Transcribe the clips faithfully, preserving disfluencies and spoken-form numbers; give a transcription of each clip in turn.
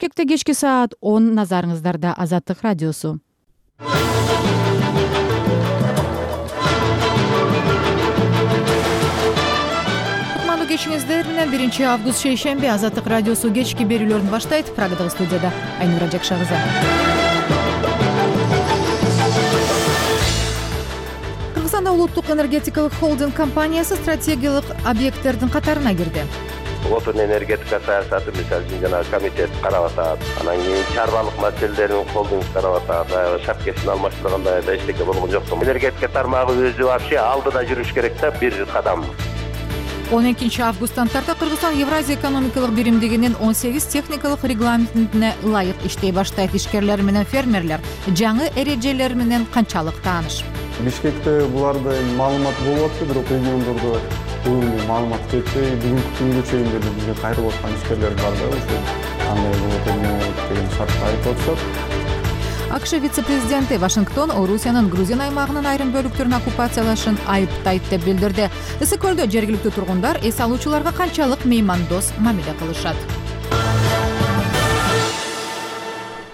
Бишкекте кечки саат он, назарыңыздарда Азаттык радиосу. Кутмандуу кечиңиздер менен биринчи август шейшемби Азаттык радиосу кечки берүүлөрүн баштайт. Прагадагы студияда Айнура Жакшагызы. Кыргызстанда улуттук энергетикалык холдинг компаниясы стратегиялык объекттердин катарына кирди. Отун энергетика саясаты мисалы үчүн жана комитет карап атат. Анан кийин чарбалык маселелерин холдинг карап атат. Шапкесин алмаштырганда да эчтеке болгон жок. Энергетика тармагы өзү вообще алдыда жүрүш керек да, бир кадам. он экинчи августтан тарта Кыргызстан Евразия экономикалык биримдигинин он сегиз техникалык регламентине ылайык иштей баштайт. Ишкерлер менен фермерлер жаңы эрежелер менен канчалык тааныш? Бишкекте буларда маалымат болуп атты, бирок региондордо бүгүн маалымат жетпей, бүгүнкү күнгө чейин деле бизге кайрылып аткан ишкерлер бар да, ошо кандай болот, эмне болот деген шартты айтып атышат. АКШ вице-президенти Вашингтон Орусиянын Грузия аймагынын айрым бөлүктөрүн оккупациялашын айыптайт деп билдирди. Ысык-көлдө жергиликтүү тургундар эс алуучуларга канчалык меймандос мамиле кылышат?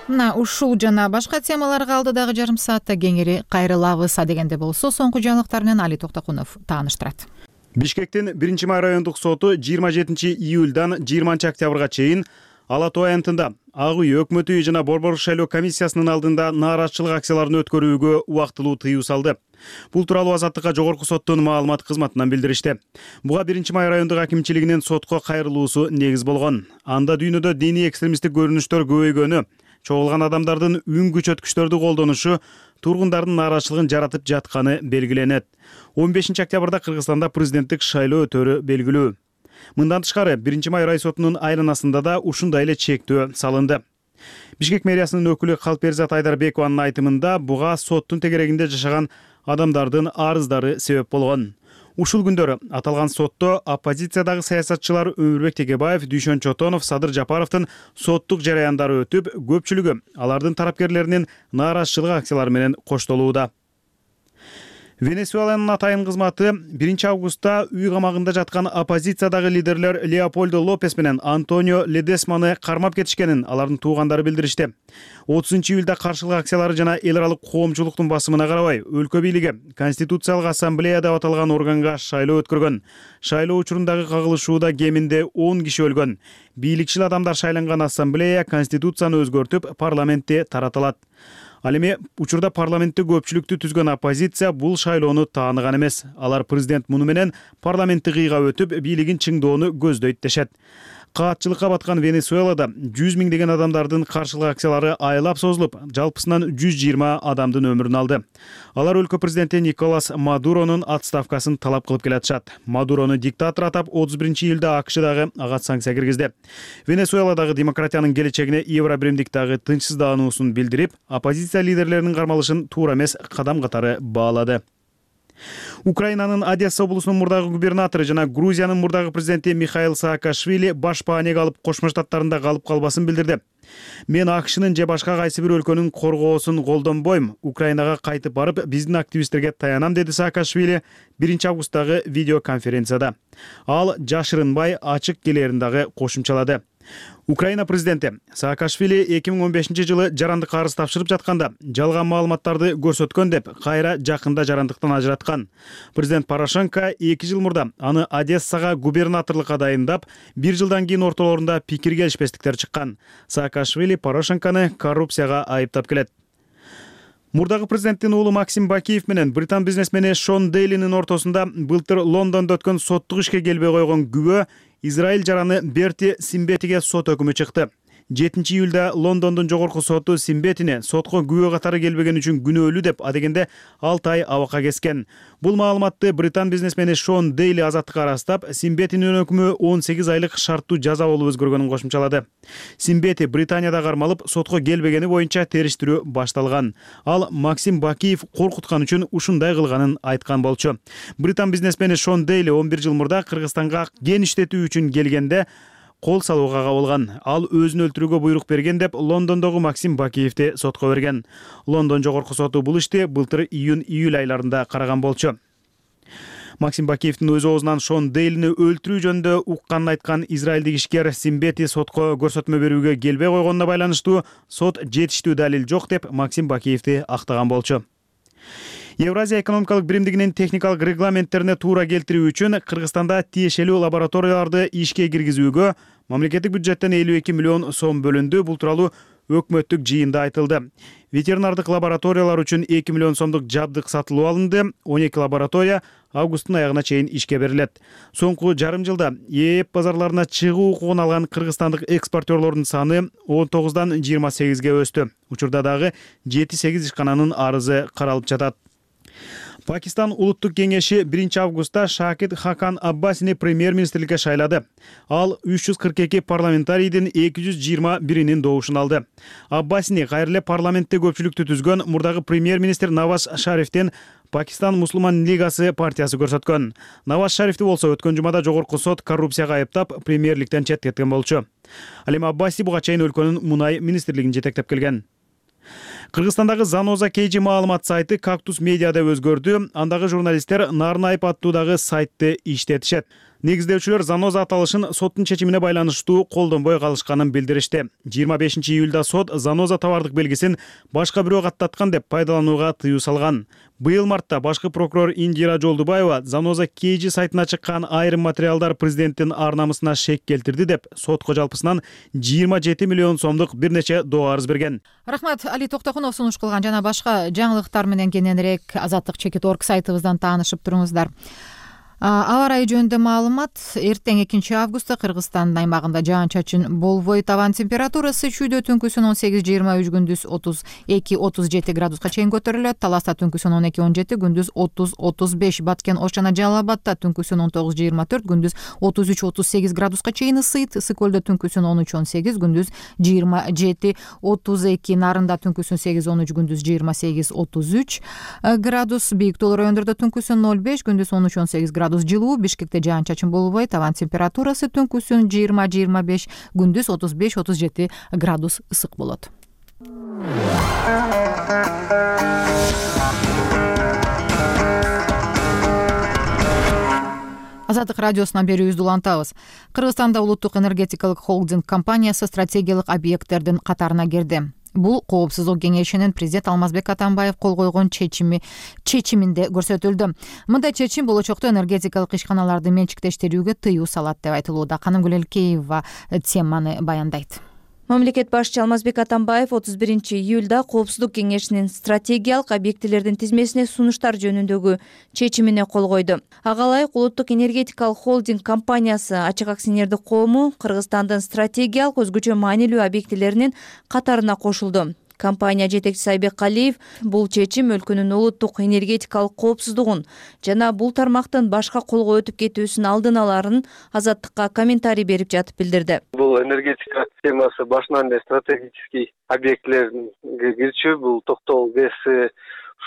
Мына ушул жана башка темаларга алдыдагы жарым саатта кеңири кайрылабыз. Адегенде болсо, соңку жаңылыктар менен Али Токтокунов тааныштырат. Бишкектин биринчи май райондук соту жыйырма жетинчи июльдан жыйырманчы октябрга чейин Ала Тоо аянтында Ак үй өкмөт үйү жана Борбор шайлоо комиссиясынын алдында нааразычылык акцияларын өткөрүүгө убактылуу тыюу салды. Бул тууралуу Азаттыкка жогорку соттун маалымат кызматынан билдиришти. Буга биринчи май райондук акимчилигинин сотко кайрылуусу негиз болгон. Анда дүйнөдө диний экстремисттик көрүнүштөр көбөйгөнү, чогулган адамдардын үн күчөткүчтөрдү колдонушу тургундардын нааразычылыгын жаратып жатканы белгиленет. он бешинчи октябрда Кыргызстанда президенттик шайлоо өтөрү белгилүү. Мындан тышкары биринчи май рай сотунун айланасында да ушундай эле чектөө салынды. Бишкек мэриясынын өкүлү Калперзат Айдарбекованын айтымында буга соттун тегерегинде жашаган адамдардын арыздары себеп болгон. Ушул күндөрү аталган сотто оппозициядагы саясатчылар Өмүрбек Текебаев, Дүйшөн Чотонов, Садыр Жапаровдун соттук жараяндары өтүп, көпчүлүгү алардын тараптерлеринин нааразычылык акциялары менен коштолууда. Венесуэланын атайын кызматы биринчи августта үй камагында жаткан оппозициядагы лидерлер Леопольдо Лопес менен Антонио Ледесманы кармап кетишкенин алардын туугандары билдиришти. отузунчу июлда каршылык акциялары жана эл аралык коомчулуктун басымына карабай, өлкө бийлиги Конституциялык ассамблея деп аталган органга шайлоо өткөргөн. Шайлоо учурундагы кагылышууда кеминде он киши өлгөн. Бийликчил адамдар шайланган ассамблея Конституцияны өзгөртүп, парламентти таратылат. Ал эми учурда парламентте көпчүлүктү түзгөн оппозиция бул шайлоону тааныган эмес. Алар президент муну менен парламентти кыйга өтүп, бийлигин чыңдоону көздөйт дешет. Каатчылыкка баткан Венесуэлада жүз миңдеген адамдардын каршылык акциялары айлап созулуп, жалпысынан жүз жыйырма адамдын өмүрүн алды. Алар өлкө президенти Николас Мадуронун отставкасын талап кылып келатышат. Мадурону диктатор атап отуз биринчи июлда АКШдагы ага санкция киргизди. Венесуэладагы демократиянын келечегине Евробиримдиктагы тынчсыздануусун билдирип, оппозиция лидерлеринин кармалышын туура эмес кадам катары баалады. Украинанын Одесса облусунун мурдагы губернатору жана Грузиянын мурдагы президенти Михаил Саакашвили баш баанеге алып Кошмо Штаттарында калып калбасын билдирди. Мен АКШнын же башка кайсы бир өлкөнүн коргоосун колдонбойм. Украинага кайтып барып, биздин активисттерге таянам, деди Саакашвили биринчи августтагы видеоконференцияда. Ал жашырынбай ачык келерин дагы кошумчалады. Украина президенти Саакашвили эки миң он бешинчи жылы жарандык арыз тапшырып жатканда жалган маалыматтарды көрсөткөн деп кайра жакында жарандыктан ажыраткан. Президент Порошенко эки жыл мурда аны Одессага губернаторлукка дайындап, бир жылдан кийин ортолорунда пикир келишпестиктер чыккан. Саакашвили Порошенкону коррупцияга айыптап келет. Мурдагы президенттин уулу Максим Бакиев менен британ бизнесмени Шон Дейлинин ортосунда былтыр Лондондо өткөн соттук ишке келбей койгон күбө Израиль жараны Берти Симбетиге сот өкүмү чыкты. жетинчи июлда Лондондун жогорку соту Симбетине сотко күбө катары келбеген үчүн күнөөлүү деп адегенде алты ай абакка кескен. Бул маалыматты британ бизнесмени Шон Дейли Азаттыкка ырастап, Симбетинин өкүмү он сегиз айлык шарттуу жаза болуп өзгөргөнүн кошумчалады. Симбети Британияда кармалып, сотко келбегени боюнча териштирүү башталган. Ал Максим Бакиев коркуткан үчүн ушундай кылганын айткан болчу. Британ бизнесмени Шон Дейли он бир жыл мурда Кыргызстанга ген иштетүү үчүн келгенде кол салууга кабылган. Ал өзүн өлтүрүүгө буйрук берген деп Лондондогу Максим Бакиевди сотко берген. Лондон жогорку соту бул ишти былтыр июнь-июль айларында караган болчу. Максим Бакиевдин өз оозунан Шон Дейлини өлтүрүү жөнүндө укканын айткан израилдик ишкер Симбети сотко көрсөтмө берүүгө келбей койгонуна байланыштуу сот жетиштүү далил жок деп Максим Бакиевди актаган болчу. Евразия экономикалык биримдигинин техникалык регламенттерине туура келтирүү үчүн Кыргызстанда тиешелүү лабораторияларды ишке киргизүүгө мамлекеттик бюджеттен элүү эки миллион сом бөлүндү. Бул тууралуу өкмөттүк жыйында айтылды. Ветеринардык лабораториялар үчүн эки миллион сомдук жабдык сатылып алынды. он эки лаборатория августтун аягына чейин ишке берилет. Соңку жарым жылда ЕЭП базарларына чыгуу укугун алган кыргызстандык экспортерлордун саны он тогуздан жыйырма сегизге өстү. Учурда дагы жети сегиз ишкананын арызы каралып жатат. Пакистан улуттук кеңеши биринчи августта Шакит Хакан Аббасини премьер-министрликке шайлады. Ал үч жүз кырк эки парламентарийдин эки жүз жыйырма биринин добушун алды. Аббасини кайра эле парламентте көпчүлүктү түзгөн мурдагы премьер-министр Наваз Шарифтен Пакистан Мусулман лигасы партиясы көрсөткөн. Наваз Шарифти болсо өткөн жумада жогорку сот коррупцияга айыптап премьерликтен четтеткен болчу. Ал эми Аббаси буга чейин өлкөнүн мунай министрлигин жетектеп келген. Кыргызстандагы Заноза Кейжи маалымат сайты Кактус Медиа деп өзгөрдү. Андагы журналисттер Нарнайп аттуудагы сайтты иштетишет. Негиздөөчүлөр Заноза аталышын соттун чечимине байланыштуу колдонбой калышканын билдиришти. жыйырма бешинчи июлда сот Заноза товардык белгисин башка бирөө каттаткан деп пайдаланууга тыюу салган. Быйыл мартта башкы прокурор Индира Жолдубаева Заноза Кейжи сайтына чыккан айрым материалдар президенттин ар намысына шек келтирди деп сотко жалпысынан жыйырма жети миллион сомдук бир нече доо арыз берген. Рахмат, Али Токтокунов сунуш кылган жана башка жаңылыктар менен кененирээк азаттык чекит орг сайтыбыздан таанышып туруңуздар. Аба ырайы жөнүндө маалымат: эртең экинчи августта Кыргызстандын аймагында жаан-чачын болбойт. Абанын температурасы чүйдө түнкүсүн он сегиз жыйырма үч, күндүз отуз эки отуз жети градуска чейин көтөрүлөт. Таласта түнкүсүн он эки он жети, күндүз отуз отуз беш. Баткен, Ош жана Жалал Абадта түнкүсүн он тогуз жыйырма төрт, күндүз отуз үч отуз сегиз градуска чейин ысыйт. Ысык көлдө түнкүсүн он үч он сегиз, күндүз жыйырма жети отуз эки. Нарында түнкүсүн сегиз он үч, күндүз жыйырма сегиз отуз үч градус. Бийик тоолор райондордо түнкүсүн ноль беш, күндүз он үч он сегиз градус жылуу. Бишкекте жаан-чачын болбойт. Абан температурасы түнкүсүн жыйырма жыйырма беш, күндүз отуз беш отуз жети градус ысык болот. Азаттык радиосунан берүүбүздү улантабыз. Кыргызстанда улуттук энергетикалык холдинг компаниясы стратегиялык объекттердин катарына кирди. Бул Коопсуздук кеңешинин президент Алмазбек Атамбаев кол койгон чечими чечиминде көрсөтүлдү. Мындай чечим болочокто энергетикалык ишканаларды менчиктештирүүгө тыюу салат деп айтылууда. Канымгүл Элкеева теманы баяндайт. Мамлекет башчы Алмазбек Атамбаев отуз биринчи июлда Коопсуздук кеңешинин стратегиялык объектилердин тизмесине сунуштар жөнүндөгү чечимине кол койду. Ага ылайык улуттук энергетикалык холдинг компаниясы ачык акционердик коому Кыргызстандын стратегиялык өзгөчө маанилүү объектилеринин катарына кошулду. Компания жетекчиси Айбек Калиев бул чечим өлкөнүн улуттук энергетикалык коопсуздугун жана бул тармактын башка колго өтүп кетүүсүн алдын аларын Азаттыкка комментарий берип жатып билдирди. Бул энергетика темасы башынан эле стратегический объектлерге кирчү, бул токтогул ГЭС,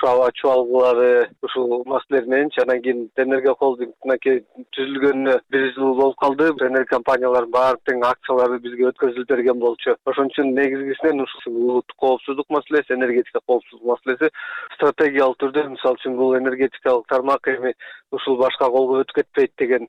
аба чубалгылары, ушул маселелер менен анан кийин энергия холдингине түзүлгөнүнө бир жыл болуп калды. Энергия компаниялардын баардык акциялары бизге өткөзүлүп берген болчу. Ошон үчүн негизгисинен ушул улуттук коопсуздук маселеси, энергетика коопсуздук маселеси стратегиялык түрдө, мисалы үчүн бул энергетикалык тармак эми ушул башка колго өтүп кетпейт деген,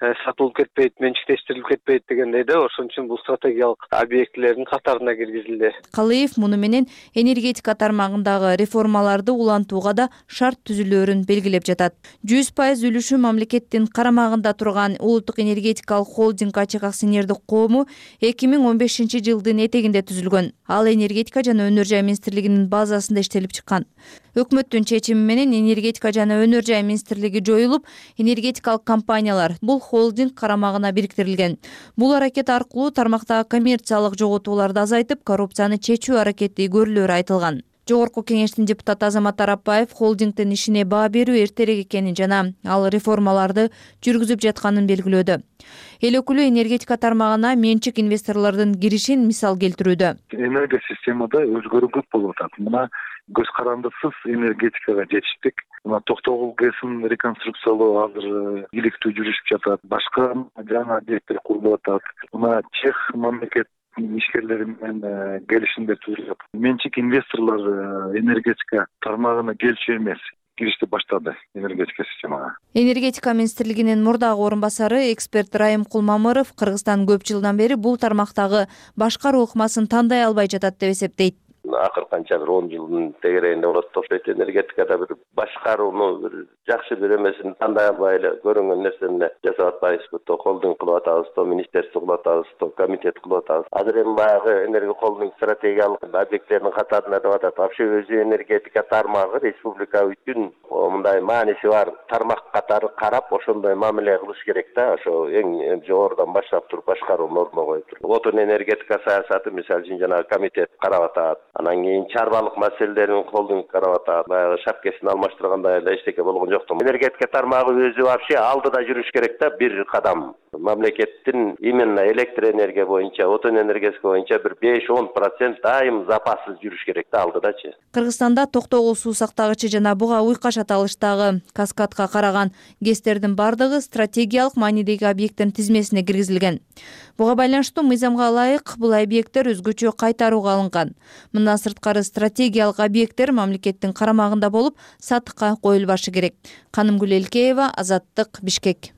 сатылып кетпейт, менчиктештирилип кетпейт дегендей да, ошон үчүн бул стратегиялык объектилердин катарына киргизилди. Калиев муну менен энергетика тармагындагы реформаларды улантууга да шарт түзүлөөрүн белгилеп жатат. жүз пайыз үлүшү мамлекеттин карамагында турган улуттук энергетикалык холдинг ачык акционердик коому эки миң он бешинчи жылдын этегинде түзүлгөн. Ал энергетика жана өнөр жай министрлигинин базасында иштелип чыккан. Өкмөттүн чечими менен энергетика жана өнөр жай министрлиги жоюлуп, энергетикалык компаниялар бул холдинг карамагына бириктирилген. Бул аракет аркылуу тармактагы коммерциялык жоготууларды азайтып, коррупцияны чечүү аракети көрүлөөрү айтылган. Жогорку кеңештин депутаты Азамат Арапбаев холдингдин ишине баа берүү эртерээк экенин жана ал реформаларды жүргүзүп жатканын белгилөөдө. Эл өкүлү энергетика тармагына менчик инвесторлордун киришин мисал келтирүүдө. Энергия системада өзгөрүү көп болуп атат. Мына көз карандысыз энергетикага жетиштик. Мына токтогул ГЭСин реконструкциялоо азыр иликтүү жүрүшүп жатат. Башка жаңы объекттер курулуп атат. Мына Чех мамлекет ишкерлери менен келишимдер түзүлүп. Менчик инвесторлор энергетика тармагына келчү эмес. киришти баштады энергетика системага. Энергетика министрлигинин мурдагы орун басары эксперт Райым Кулмамыров Кыргызстан көп жылдан бери бул тармактагы башкаруу ыкмасын тандай албай жатат деп эсептейт. Акыр канча бир он жылдын тегерегинде болот окшойт. Энергетикада бир башкарууну бир жакшы бир эмесин тандай албай эле көрүнгөн нерсени жасап атпайбызбы, то холдинг кылып атабыз, то министерство кылып атабыз, то комитет кылып атабыз. Азыр эми баягы энергия холдинг стратегиялык объекттердин катарына деп атат. Вообще өзү энергетика тармагы республика үчүн мындай мааниси бар тармак катары карап ошондой мамиле кылыш керек да. Ошо эң жогорудан баштап туруп башкарууну ордуна коюп туруп. Отун энергетика саясаты мисалы үчүн жана комитет карап атат. Анан кийин чарбалык маселелерин холдинг карап атат. Баягы шапкесин алмаштыргандай эле эчтеке болгон жок. Энергетика тармагы өзү вообще алдыда жүрүш керек да, бир кадам. Мамлекеттин именно электр энергия боюнча, отун энергетика боюнча бир беш он процент дайым запассыз жүрүш керек да, алдыдачы. Кыргызстанда токтогул суу сактагычы жана буга уйкаш аталыштагы каскадка караган ГЭСтердин бардыгы стратегиялык маанидеги объекттин тизмесине киргизилген. Буга байланыштуу мыйзамга ылайык бул объекттер өзгөчө кайтарууга алынган. Мындан сырткары стратегиялык объекттер мамлекеттин карамагында болуп, сатыкка коюлбашы керек. Канымгүл Элкеева, Азаттык, Бишкек.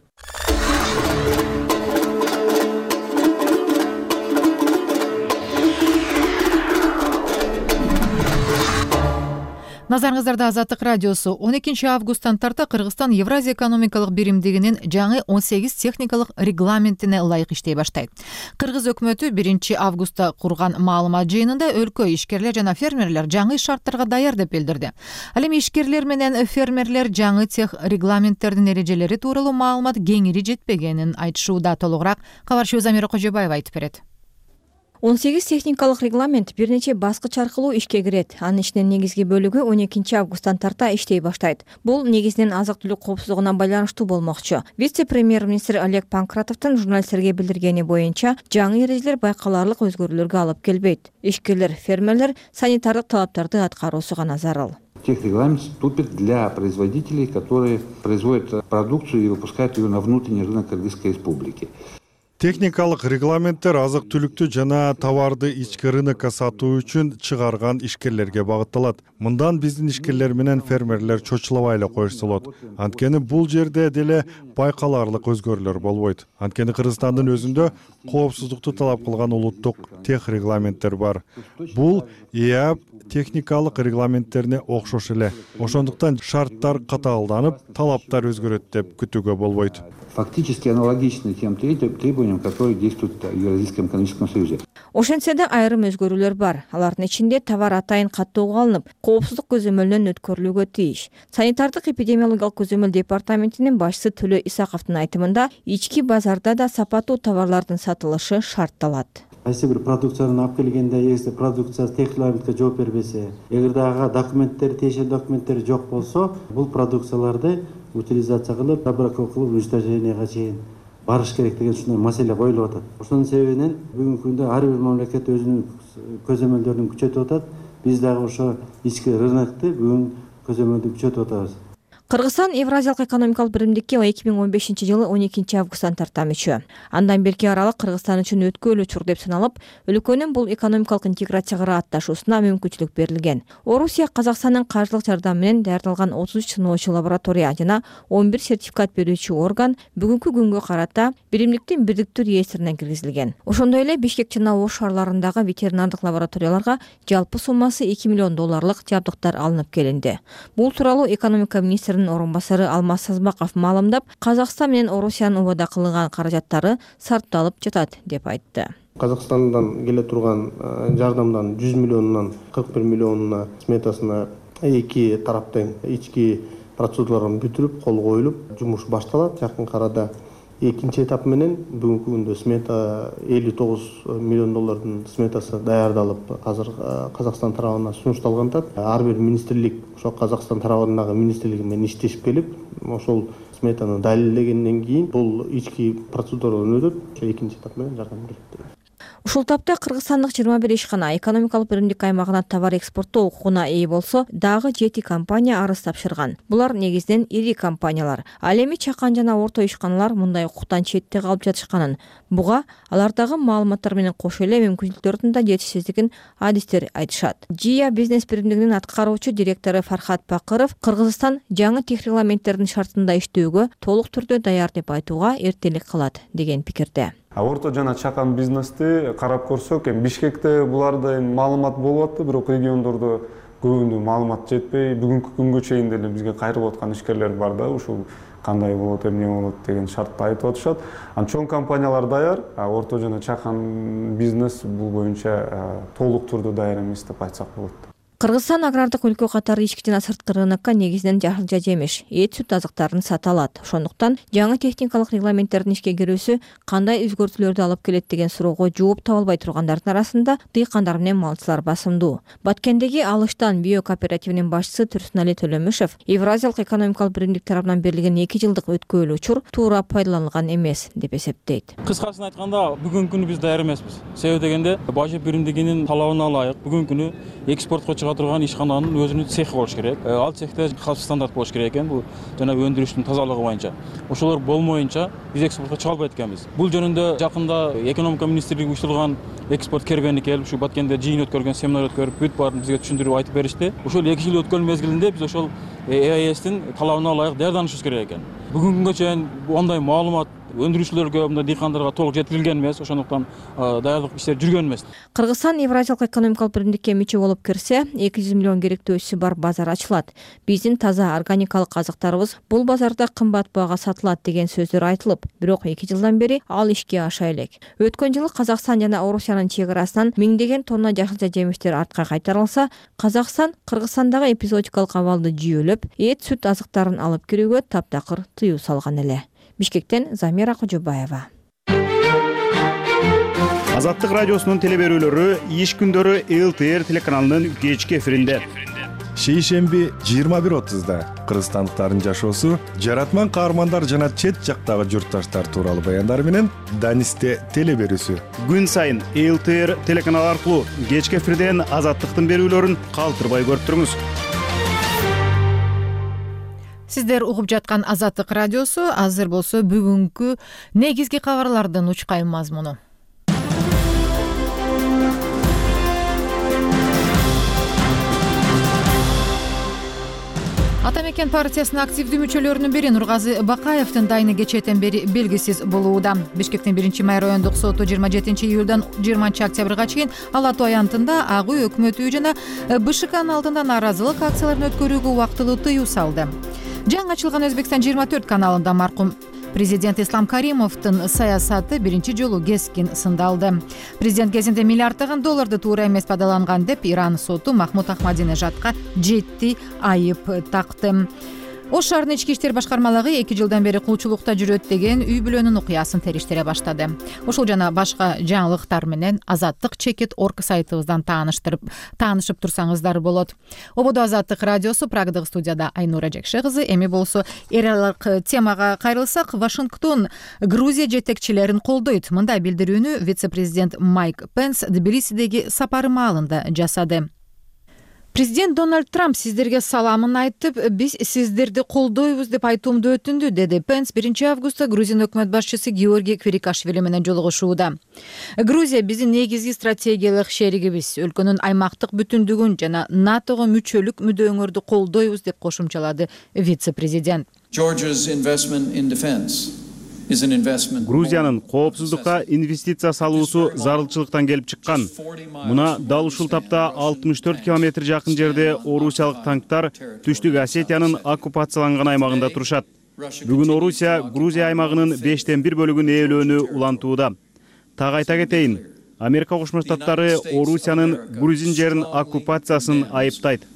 Назарыңыздарда Азаттык радиосу. он экинчи августтан тарта Кыргызстан Евразия экономикалык биримдигинин жаңы он сегиз техникалык регламентине ылайык иштей баштайт. Кыргыз өкмөтү биринчи августта курган маалымат жыйынында өлкө ишкерлер жана фермерлер жаңы шарттарга даяр деп билдирди. Ал эми ишкерлер менен фермерлер жаңы тех регламенттердин эрежелери тууралуу маалымат кеңири жетпегенин айтышууда. Толугураак кабарчыбыз Замира Кожобаева айтып берет. он сегиз техникалык регламент бир нече баскыч аркылуу ишке кирет. Анын ичинен негизги бөлүгү он экинчи августтан тарта иштей баштайт. Бул негизинен азык-түлүк коопсуздугуна байланыштуу болмокчу. Вице-премьер-министр Олег Панкратовдун журналисттерге билдиргени боюнча, жаңы эрежелер байкаларлык өзгөрүүлөргө алып келбейт. Ишкерлер, фермерлер санитардык талаптарды аткаруусу гана зарыл. Техрегламент вступит для производителей, которые производят продукцию и выпускают ее на внутренний рынок Кыргызской республики. Техникалык регламенттер азык-түлүктү жана товарды ички рынокко сатуу үчүн чыгарган ишкерлерге багытталат. Мындан биздин ишкерлер менен фермерлер чочулабай эле коюшса болот. Анткени бул жерде деле байкаларлык өзгөрүүлөр болбойт. Анткени Кыргызстандын өзүндө коопсуздукту талап кылган улуттук тех регламенттер бар. Бул ИАП техникалык регламенттерине окшош эле. Ошондуктан шарттар катаалданып, талаптар өзгөрөт деп күтүүгө болбойт. Фактически аналогичны тем требованиям, которые действуют в Евразийском экономическом союзе. Ошентсе да айрым өзгөрүүлөр бар. Алардын ичинде товар атайын каттоого алынып, коопсуздук көзөмөлүнөн өткөрүлүүгө тийиш. Санитардык эпидемиологиялык көзөмөл департаментинин башчысы Төлө Исаковдун айтымында, ички базарда да сапаттуу товарлардын сатылышы шартталат. Кайсы бир продукцияны алып келгенде, эгерде продукция техрегламентке жооп бербесе, эгерде ага документтери, тиешелүү документтери жок болсо, бул продукцияларды утилизация кылып, лаборатория кылып, уничтоженияга чейин барыш керек деген ушундай маселе коюлуп атат. Ошонун себебинен бүгүнкү күндө ар бир мамлекет өзүнүн көзөмөлдөрүн күчөтүп атат. Биз дагы ошо ички рынокты бүгүн көзөмөлдү күчөтүп атабыз. Кыргызстан Евразиялык экономикалык биримдикке эки миң он бешинчи жылы он экинчи августтан тарта мүчө. Андан берки аралык Кыргызстан үчүн өткүлүү учур деп саналып, өлкөнүн бул экономикалык интеграцияга атташуусуна мүмкүнчүлүк берилген. Орусия Казакстандын каржылык жардамы менен даярдалган отуз үч сыноочу лаборатория жана он бир сертификат берүүчү орган бүгүнкү күнгө карата биримдиктин бирдиктүү реестрине киргизилген. Ошондой эле Бишкек жана Ош шаарларындагы ветеринардык лабораторияларга жалпы суммасы эки миллион долларлык жабдыктар алынып келинди. Бул тууралуу экономика министринин орун басары Алмаз Сазбаков маалымдап, Казакстан менен Орусиянын убада кылган каражаттары сарпталып жатат деп айтты. Казакстандан келе турган жардамдан жүз миллионунан кырк бир миллионуна сметасына эки тараптын ички процедураларын бүтүрүп, кол коюлуп, жумуш башталат. Жакын арада экинчи этап менен бүгүнкү күндө смета элүү тогуз миллион доллардын сметасы даярдалып, азыр Казакстан тарабына сунушталган. Ар бир министрлик ошо Казакстан тарабындагы министрлиги менен иштешип келип, ошол сметаны далилдегенден кийин бул ички процедурадан өтөт, ошо экинчи этап менен жардам берет. Ушул тапта кыргызстандык жыйырма бир ишкана экономикалык биримдик аймагына товар экспорттоо укугуна ээ болсо, дагы жети компания арыз тапшырган. Булар негизинен ири компаниялар. Ал эми чакан жана орто ишканалар мындай укуктан четте калып жатышканын, буга алардагы маалыматтар менен кошо эле мүмкүнчүлүктөрдүн да жетишсиздигин адистер айтышат. ЖИА бизнес биримдигинин аткаруучу директору Фархат Бакыров Кыргызстан жаңы тех регламенттердин шартында иштөөгө толук түрдө даяр деп айтууга эртелик кылат деген пикирде. Орто жана чакан бизнести карап көрсөк, эми Бишкекте буларда маалымат болуп атты, бирок региондордо көбүндө маалымат жетпей, бүгүнкү күнгө чейин деле бизге кайрылып аткан ишкерлер бар да, ушул кандай болот, эмне болот деген шартты айтып атышат. Анан чоң компаниялар даяр, орто жана чакан бизнес бул боюнча толук түрдө даяр эмес деп айтсак болот. Кыргызстан агрардык өлкө катары ички жана сырткы рынокко негизинен жашылча жемиш, эт сүт азыктарын сата алат. Ошондуктан жаңы техникалык регламенттердин ишке кирүүсү кандай өзгөртүүлөрдү алып келет деген суроого жооп таба албай тургандардын арасында дыйкандар менен малчылар басымдуу. Баткендеги Алыштан био кооперативинин башчысы Турсунали Төлөмүшев Евразиялык экономикалык биримдик тарабынан берилген эки жылдык өткөөлүү учур туура пайдаланылган эмес деп эсептейт. Кыскасын айтканда, бүгүнкү күнү биз даяр эмеспиз. Себеби дегенде, бажы биримдигинин талабына ылайык бүгүнкү күнү экспортко чыга турган ишкананын өзүнүн цехи болуш керек. Ал цехте калыпчы стандарт болуш керек экен. Бул жана өндүрүштүн тазалыгы боюнча. Ошолор болмоюнча биз экспортко чыга албайт экенбиз. Бул жөнүндө жакында экономика министрлиги уюштурган экспорт кербени келип, ушу Баткенде жыйын өткөргөн, семинар өткөрүп, бүт баарын бизге түшүндүрүп айтып беришти. Ошол эки жыл өткөн мезгилинде биз ошол Э А Эстин талабына ылайык даярданышыбыз керек экен. Бүгүнкү күнгө чейин андай маалымат өндүрүүчүлөргө, мындай дыйкандарга толук жеткирилген эмес, ошондуктан даярдык иштери жүргөн эмес. Кыргызстан Евразиялык экономикалык биримдикке мүчө болуп кирсе, эки жүз миллион керектөөсү бар базар ачылат. Биздин таза органикалык азыктарыбыз бул базарда кымбат баага сатылат деген сөздөр айтылып, бирок эки жылдан бери ал ишке аша элек. Өткөн жылы Казакстан жана Орусиянын чек арасынан миңдеген тонна жашылча жемиштер артка кайтарылса, Казакстан Кыргызстандагы эпизодикалык абалды жүйөлөп, эт сүт азыктарын алып кирүүгө таптакыр тыюу салган эле. Бишкектен Замира Кожобаева. Азаттык радиосунун телеберүүлөрү иш күндөрү Эл Т Р телеканалынын кечки эфиринде. Шейшемби жыйырма бир отузда кыргызстандыктардын жашоосу, жаратман каармандар жана чет жактагы журтташтар тууралуу баяндар менен Данисте телеберүүсү. Күн сайын Эл Т Р телеканалы аркылуу кечки эфирден Азаттыктын берүүлөрүн калтырбай көрүп туруңуз. Сиздер угуп жаткан Азаттык радиосу азыр болсо бүгүнкү негизги кабарлардын учкай мазмуну. Ата мекен партиясынын активдүү мүчөлөрүнүн бири Нургазы Бакаевдин дайыны кечээден бери белгисиз болууда. Бишкектин биринчи май райондук соту жыйырма жетинчи июлдан жыйырманчы октябрга чейин Ала Тоо аянтында Ак үй өкмөт үйү жана Б Ш Кнын алдында нааразылык акцияларын өткөрүүгө убактылуу тыюу салды. Жаңы ачылган Өзбекстан жыйырма төрт каналында маркум президент Ислам Каримовдун саясаты биринчи жолу кескин сындалды. Президент кезинде миллиарддаган долларды туура эмес пайдаланган деп Иран соту Махмуд Ахмадинежадка жети айып такты. Ош шаарынын ички иштер башкармалыгы эки жылдан бери кулчулукта жүрөт деген үй бүлөнүн окуясын териштире баштады. Ошол жана башка жаңылыктар менен Азаттык чекит точка орг сайтыбыздан тааныштырып таанышып турсаңыздар болот. Ободо Азаттык радиосу, Прагдагы студияда Айнура Жекше кызы. Эми болсо эр аралык темага кайрылсак, Вашингтон Грузия жетекчилерин колдойт. Мындай билдирүүнү вице-президент Майк Пенс Тбилисидеги сапары маалында жасады. Президент Дональд Трамп сиздерге саламын айтып, биз сиздерди колдойбуз деп айтуумду өтүндү, деди Пенс биринчи августта Грузия өкмөт башчысы Георгий Квирикашвили менен жолугушууда. Грузия биздин негизги стратегиялык шеригибиз, өлкөнүн аймактык бүтүндүгүн жана НАТОго мүчөлүк мүдөөңөрдү колдойбуз деп кошумчалады вице-президент. Грузиянын коопсуздукка инвестиция салуусу зарылчылыктан келип чыккан. Муна дал ушул тапта алтымыш төрт километр жакын жерде орусиялык танктар Түштүк Осетиянын оккупацияланган аймагында турушат. Бүгүн Орусия Грузия аймагынын бештен бир бөлүгүн ээлөөнү улантууда. Так айта кетейин, Америка Кошмо Штаттары Орусиянын грузин жерин оккупациясын айыптайт.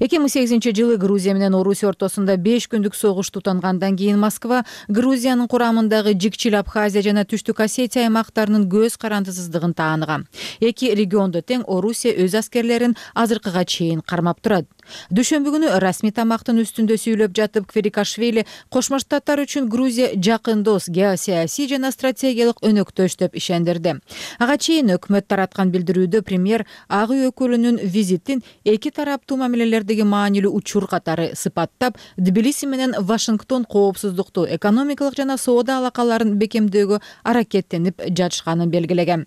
эки миң сегизинчи жылы Грузия менен Орусия ортосунда беш күндүк согуш тутангандан кийин Москва Грузиянын курамындагы Жикчил Абхазия жана Түштүк Осетия аймактарынын көз карандысыздыгын тааныган. Эки региондо тең Орусия өз аскерлерин азыркыга чейин кармап турат. Дүйшөмбү күнү расмий тамактын үстүндө сүйлөп жатып Кверикашвили Кошмо Штаттар үчүн Грузия жакын дос, геосаясий жана стратегиялык өнөктөш деп ишендирди. Ага чейин өкмөт тараткан билдирүүдө премьер ак үй өкүлүнүн визитин эки тараптуу мамилелердеги маанилүү учур катары сыпаттап, Тбилиси менен Вашингтон коопсуздукту, экономикалык жана соода алакаларын бекемдөөгө аракеттенип жатышканын белгилеген.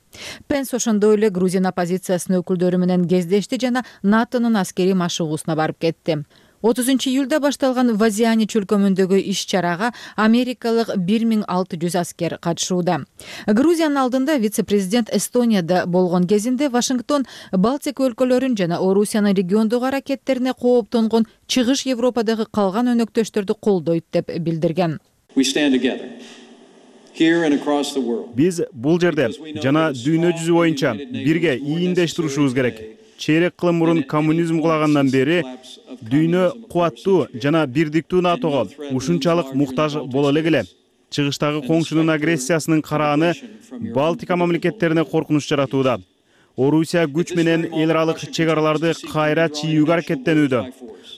Пенс ошондой эле Грузия оппозициясынын өкүлдөрү менен кездешти жана НАТОнун аскерий машыгуусуна барып кетти. отузунчу июлда башталган Вазиани чөлкөмүндөгү иш-чарага америкалык бир миң алты жүз аскер катышууда. Грузиянын алдында вице-президент Эстонияда болгон кезинде Вашингтон Балтика өлкөлөрүн жана Орусиянын региондогу аракеттерине кооптонгон Чыгыш Европадагы калган өнөктөштөрдү колдойт деп билдирген. Биз бул жерде жана дүйнө жүзү боюнча бирге ийиндеш турушубуз керек. Чейрек кылым мурун коммунизм кулагандан бери дүйнө кубаттуу жана бирдиктүү НАТОго ушунчалык муктаж боло эле келе. Чыгыштагы коңшунун агрессиясынын карааны Балтика мамлекеттерине коркунуч жаратууда. Орусия күч менен эл аралык чек араларды кайра чийүүгө аракеттенүүдө.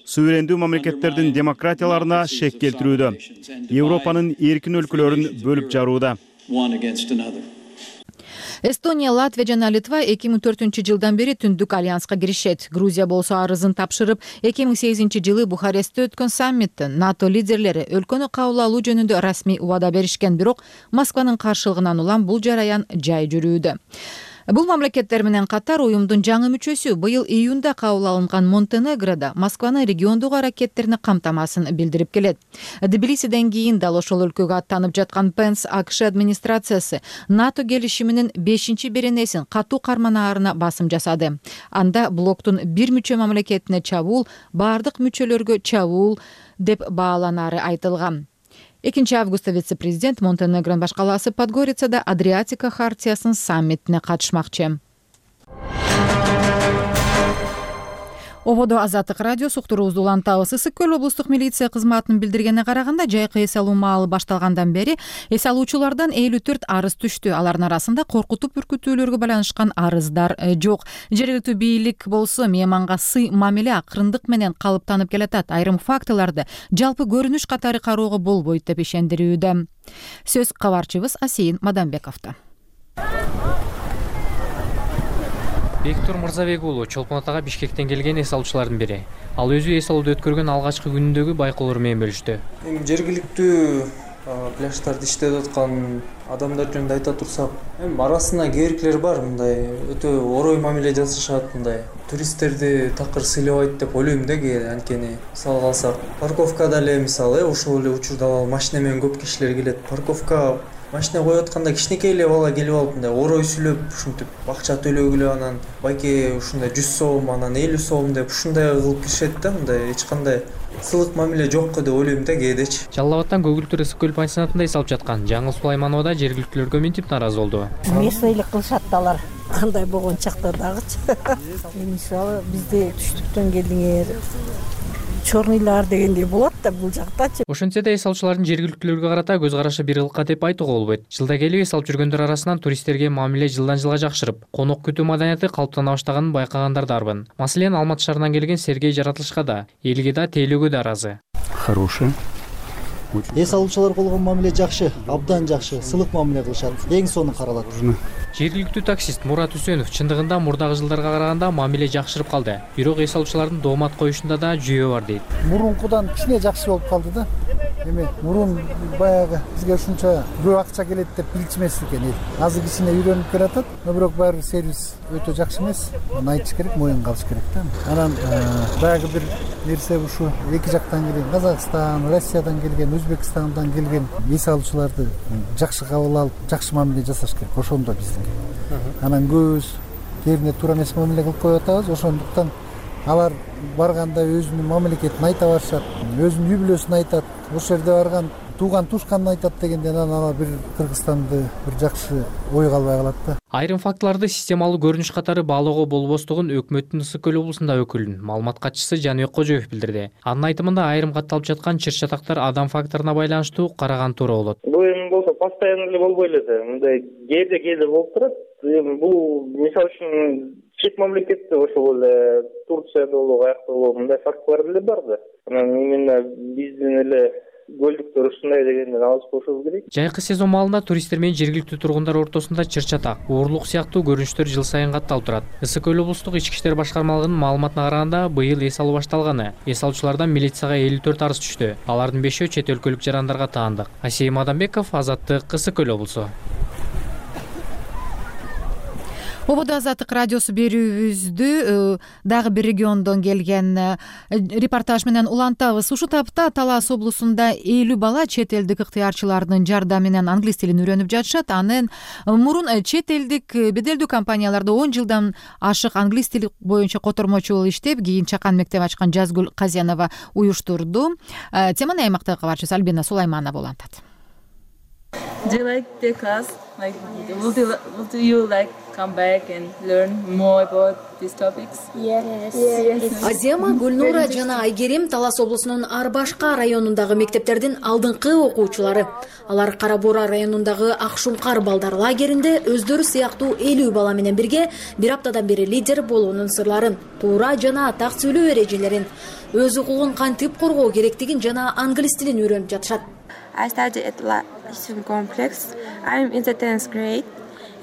Суверендүү мамлекеттердин демократияларына шек келтирүүдө. Европанын эркин өлкөлөрүн бөлүп жарууда. Эстония, Латвия жана Литва эки миң төртүнчү жылдан бери Түндүк альянска киришет. Грузия болсо арызын тапшырып, эки миң сегизинчи жылы Бухарестте өткөн саммитте НАТО лидерлери өлкөнү кабыл алуу жөнүндө расмий убада беришкен, бирок Москванын каршылыгынан улам бул жараян жай жүрүүдө. Бул мамлекеттер менен катар уюмдун жаңы мүчөсү быйыл июнда кабыл алынган Монтенегрода Москванын региондогу аракеттерине камтамасын билдирип келет. Тбилисиден кийин дал ошол өлкөгө аттанып жаткан Пенс АКШ администрациясы НАТО келишиминин бешинчи беренесин катуу карманаарына басым жасады. Анда блоктун бир мүчө мамлекетине чабуул бардык мүчөлөргө чабуул деп бааланары айтылган. экинчи августта вице-президент Монтенегронун баш калаасы Подгорицада Адриатика хартиясынын саммитине катышмакчы. Ободо Азаттык радио суктуруубузду улантабыз. Ысык көл облустук милиция кызматынын билдиргенине караганда, жайкы эс алуу маалы башталгандан бери эс алуучулардан элүү төрт арыз түштү. Алардын арасында коркутуп үркүтүүлөргө байланышкан арыздар жок. Жергиликтүү бийлик болсо мейманга сый мамиле акырындык менен калыптанып келатат. Айрым фактыларды жалпы көрүнүш катары кароого болбойт деп ишендирүүдө. Сөз кабарчыбыз Асейин Мадамбековдо. Бектур Мырзабек уулу Чолпон Атага Бишкектен келген эс алуучулардын бири. Ал өзү эс алууду өткөргөн алгачкы күнүндөгү байкоолор менен бөлүштү. Эми жергиликтүү пляжтарда иштеп аткан адамдар жөнүндө айта турсак, эми арасында кээ бар, мындай өтө орой мамиле жасашат, мындай туристтерди такыр сыйлабайт деп ойлойм да, кээ анткени мисалга алсак, парковкада эле мисалы ушул эле учурда машина менен көп кишилер келет. Парковка машина коюп атканда кичинекей эле бала келип алып мындай орой сүйлөп, ушинтип акча төлөгүлө, анан байке ушундай жүз сом, анан элүү сом деп ушундай кылып киришет да, мындай эч кандай сылык мамиле жокко деп ойлойм да кээдечи. Жалал Абадтан Көгүлтүр ысык көл пансионатында эс алып жаткан Жаңыл Сулайманова да жергиликтүүлөргө минтип нааразы болду. Местнойлук кылышат да алар. Кандай болгон чакта дагычы. Мисалы бизде түштүктөн келдиңер, чорныйлар дегендей болот да бул жактачы. Ошентсе да эс алуучулардын жергиликтүүлөргө карата көз карашы бир кылка деп айтууга болбойт. Жылда келип эс алып жүргөндөр арасынан туристтерге мамиле жылдан жылга жакшырып, конок күтүү маданияты калыптана баштаганын байкагандар дарбын. Маселен, Алматы шаарынан келген Сергей Жаратылышка да, элге да, тейлөөгө да ыраазы. Хороший. Эс алуучулар болгон мамиле жакшы, абдан жакшы, сылык мамиле кылышат. Эң сонун каралат. Жергиликтүү таксист Мурат Үсөнов чындыгында мурдагы жылдарга караганда мамиле жакшырып калды. Бирок эс алуучулардын доомат коюшунда да жүйө бар дейт. Мурункудан кичине жакшы болуп калды да. Эми мурун баягы бизге ушунча көп акча келет деп билчүмес экен эл. Азыр кичине үйрөнүп келатат, бирок баары сервис өтө жакшы эмес. Аны айтыш керек, моюнга алыш керек да. Анан баягы бир нерсе ушу эки жактан келген, Казакстан, Россиядан келген, Өзбекстандан келген эс алуучуларды жакшы кабыл алып, жакшы мамиле жасаш керек. Ошондо биздин. Анан көз жерине туура эмес мамиле кылып коюп атабыз. Ошондуктан алар барганда өзүнүн мамлекетин айта башат, өзүнүн үй бүлөсүн айтат. Ошол жерде барган тууган тушкан айтат дегенде анан ана бир Кыргызстанды бир жакшы ойго албай калат да. Айрым фактыларды системалуу көрүнүш катары баалоого болбостугун өкмөттүн Ысык көл облусунда өкүлүнүн маалымат катчысы Жаныбек Кожоев билдирди. Анын айтымында айрым катталып жаткан чыр чатактар адам факторуна байланыштуу караган туура болот. Бул эми болсо постоянно эле болбой эле да. Мындай кээде кээде болуп турат. Эми бул мисалы үчүн чет мамлекетте ошол эле Турцияда болобу, аякта болобу мындай фактылар деле бар да. Анан именно биздин эле көлдүктөр ушундай дегенден алыс болушубуз керек. Жайкы сезон маалында туристтер менен жергиликтүү тургундар ортосунда чыр чатак, уурлук сыяктуу көрүнүштөр жыл сайын катталып турат. Ысык көл облустук ички иштер башкармалыгынын маалыматына караганда, быйыл эс алуу башталганы. Эс алуучулардан милицияга элүү төрт арыз түштү. Алардын бешөө чет өлкөлүк жарандарга таандык. Асейим Адамбеков, Азаттык, Ысык көл облусу. Ободо Азаттык радиосу берүүбүздү дагы бир региондон келген репортаж менен улантабыз. Ушул тапта Талас облусунда элүү бала чет элдик ыктыярчылардын жардамы менен англис тилин үйрөнүп жатышат. Анын мурун чет элдик беделдүү компанияларда он жылдан ашык англис тили боюнча котормочу болуп иштеп, кийин чакан мектеп ачкан Жазгүл Казенова уюштурду. Теманы аймактагы кабарчыбыз Альбина Сулайманова улантат. Do you like the class? Like, would you, would you like come back and learn more about these topics? Yes. Yes. Азема, Гүлнура жана Айгерим Талас облусунун Арбашка районундагы мектептердин алдыңкы окуучулары. Алар Кара Бура районундагы Акшумкар балдар лагеринде өздөрү сыяктуу элүү бала менен бирге бир аптадан бери лидер болуунун сырларын, туура жана так сүйлөө эрежелерин, өз укугун кантип коргоо керектигин жана англис тилин үйрөнүп жатышат. I study at La Student Complex. I'm in the tenth grade,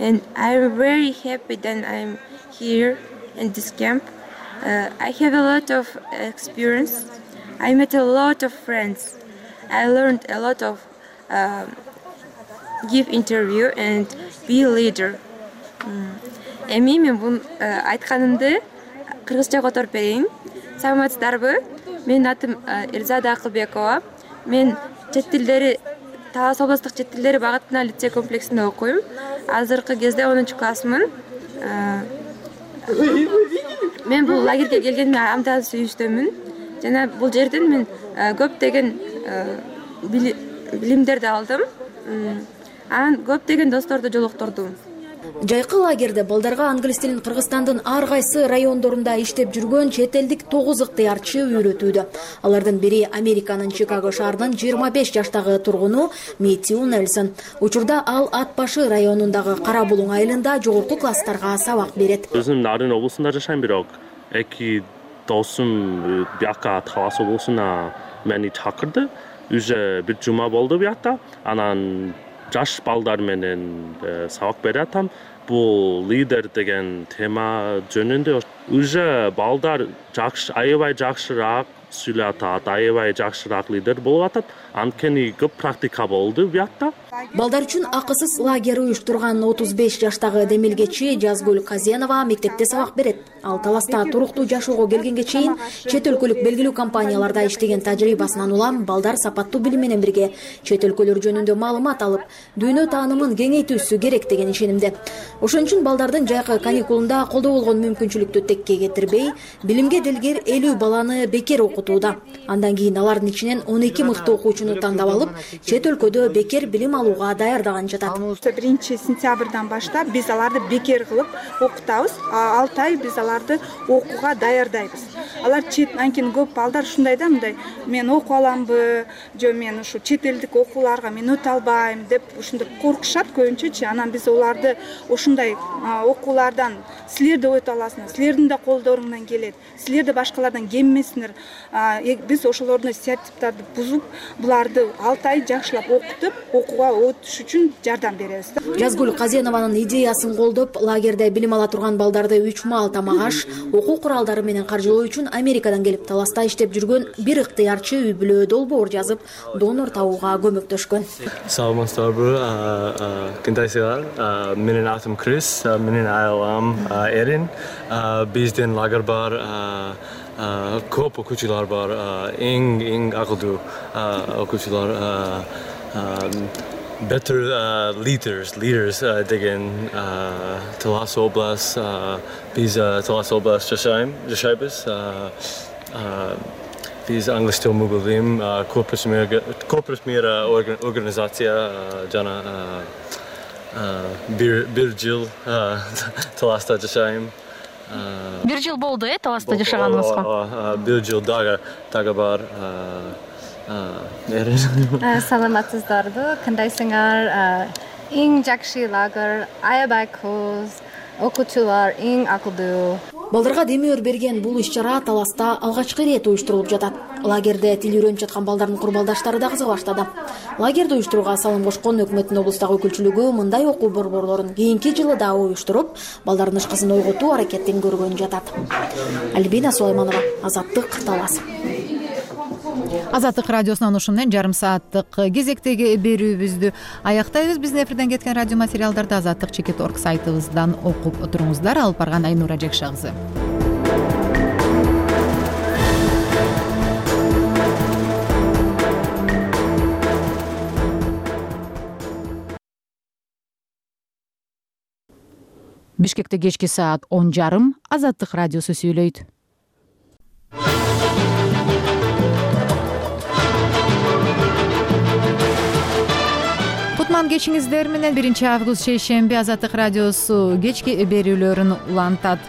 and I'm very happy that I'm here in this camp. Uh, I have a lot of experience. I met a lot of friends. I learned a lot of uh, give interview and be a leader. Эми мен бун айтканымды кыргызча которуп берейин. Саламатсыздарбы? Менин атым Эрзада Акылбекова. Мен чет тилдери Талас облустук чет тилдери багытына лицей комплексинде окуйм. Азыркы кезде онунчу классмын. Мен бул лагерге келгениме абдан сүйүнүчтөмүн. Жана бул жерден мен көптөгөн билимдерди алдым. Анан көптөгөн досторду жолуктурдум. Жайкы лагерде балдарга англис тилин Кыргызстандын ар кайсы райондорунда иштеп жүргөн чет элдик тогуз ыктыярчы үйрөтүүдө. Алардын бири Американын Чикаго шаарынын жыйырма беш жаштагы тургуну Мэтью Нельсон. Учурда ал Ат башы районундагы Кара Булуң айылында жогорку класстарга сабак берет. Өзүм Нарын облусунда жашайм, бирок эки досум бияка Талас облусуна мени чакырды. Уже бир жума болду биякта. Анан жаш балдар менен сабак берип атам. Бул лидер деген тема жөнүндө уже балдар жакшы, аябай жакшыраак сүйлөп атат, аябай жакшыраак лидер болуп атат. Анткени көп практика болду биякта. Балдар үчүн акысыз лагерь уюштурган отуз беш жаштагы демилгечи Жазгүл Казенова мектепте сабак берет. Ал Таласта туруктуу жашоого келгенге чейин чет өлкөлүк белгилүү компанияларда иштеген тажрыйбасынан улам балдар сапаттуу билим менен бирге чет өлкөлөр жөнүндө маалымат алып, дүйнө таанымын кеңейтүүсү керек деген ишенимде. Ошон үчүн балдардын жайкы каникулунда колдо болгон мүмкүнчүлүктү текке кетирбей, билимге делгер элүү баланы бекер окутууда. Андан кийин алардын ичинен он эки мыкты окуучуну тандап алып, чет өлкөдө бекер билим алууга даярдаган жатат. биринчи сентябрдан баштап биз аларды бекер кылып окутабыз. алты ай биз аларды окууга даярдайбыз. Алар чет анткени көп балдар ушундай да, мындай мен окуп аламбы, же мен ушу чет элдик окууларга мен өтө албайм деп ушундай коркушат көбүнчөчү. Анан биз оларды ушундай окуулардан силер да өтө аласыңар, силердин да колдоруңдан келет, силер да башкалардан кеммесиңер. Биз ошолордун стереотиптарды бузуп, буларды алты ай жакшылап окутуп, окууга өтүш үчүн жардам беребиз. Жазгүл Казенованын идеясын колдоп, лагерде билим ала турган балдарды үч маал тамак аш, окуу куралдары менен каржылоо үчүн Америкадан келип Таласта иштеп жүргөн бир ыктыярчы үй бүлө долбоор жазып, донор табууга көмөктөшкөн. Саламатсыздарбы, кантайсыздар? Менин атым Крис, менин айылым Эрин. Биздин лагерь бар, көп окуучулар бар, эң эң акылдуу окуучулар. Better uh, leaders, leaders uh, деген uh, Талас область, uh, биз uh, Талас область жашайм, жашайбыз. Uh, uh, Биз англис тил мугалим, корпус мира корпус мира организация жана бир бир жыл таласта жашайм. Бир жыл болду э таласта жашаганыңызга? Бир жыл дагы дагы бар. Саламатсыздарбы, кандайсыңар? Эң жакшы лагерь, аябай көз, окуучулар эң акылдуу. Балдарга демөөр берген бул иш-чара Таласта алгачкы ирет уюштурулуп жатат. Лагерде тил үйрөнүп жаткан балдардын курмалдаштары да кызыга баштады. Лагерди уюштурууга салым кошкон өкмөттүн облустагы өкүлчүлүгү мындай окуу борборлорун кийинки жылы да уюштуруп, балдардын ышкысын ойготуу аракетин көргөн жатат. Альбина Сулайманова, Азаттык, Талас. Азаттык радиосунан ушун менен жарым сааттык кезектеги берүүбүздү аяктайбыз. Биздин эфирден кеткен радио материалдарды азаттык чекит орг сайтыбыздан окуп туруңуздар. Алып барган Айнура Жекша кызы. Бишкекте кечки саат он жарым Азаттык радиосу сүйлөйт. Кутман кечиңиздер менен биринчи август шейшемби Азаттык радиосу кечки берүүлөрүн улантат.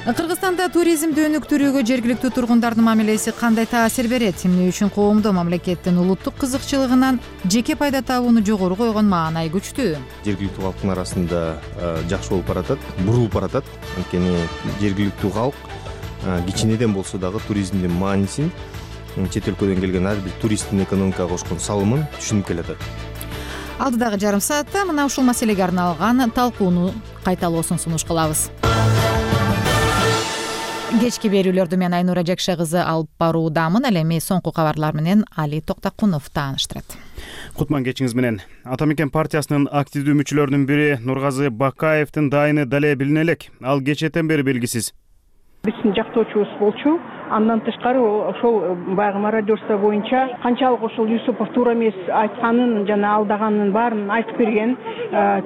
Кыргызстанда туризмди өнүктүрүүгө жергиликтүү тургундардын мамилеси кандай таасир берет? Эмне үчүн коомдо мамлекеттин улуттук кызыкчылыгынан жеке пайда табууну жогору койгон маанай күчтүү? Жергиликтүү калктын арасында жакшы болуп баратат, бурулуп баратат. Анткени жергиликтүү калк кичинеден болсо дагы туризмдин маанисин, чет өлкөдөн келген ар бир туристтин экономикага кошкон салымын түшүнүп келатат. Алдыдагы жарым саатта мына ушул маселеге арналган талкууну кайталоосун сунуш кылабыз. Кечки берүүлөрдү мен Айнура Жекша кызы алып баруудамын. Ал эми соңку кабарлар менен Али Токтакунов тааныштырат. Кутман кечиңиз менен. Ата мекен партиясынын активдүү мүчөлөрүнүн бири Нургазы Бакаевдин дайыны дале билине элек. Ал кечетен бери белгисиз. Биздин жактоочубуз болчу. Андан тышкары ошол баягы мародерство боюнча канчалык ошол Юсупов туура эмес айтканын жана алдаганын баарын айтып берген,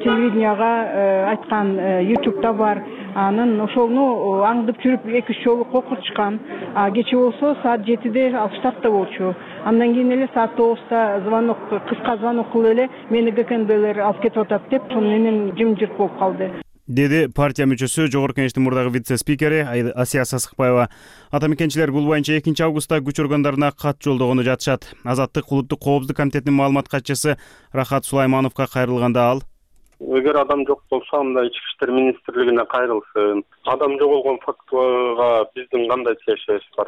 телевиденияга айткан, ютубта бар. Анын ошону аңдып жүрүп эки үч жолу кокурчкан. Кече болсо саат жетиде ал штатта болчу. Андан кийин эле саат тогузда звонок, кыска звонок кылып эле мени ГКНБлер алып кетип атат деп, ошону менен жымжырт болуп калды. Деди партия мүчөсү, Жогорку Кеңештин мурдагы вице-спикери Асия Сасыкбаева. Ата мекенчилер бул боюнча экинчи августта күч органдарына кат жолдогону жатышат. Азаттык улуттук коопсуздук комитетинин маалымат катчысы Рахат Сулаймановго кайрылганда ал: Эгер адам жок болсо, анда Ички иштер министрлигине кайрылсын. Адам жоголгон фактыга биздин кандай тиешебиз бар?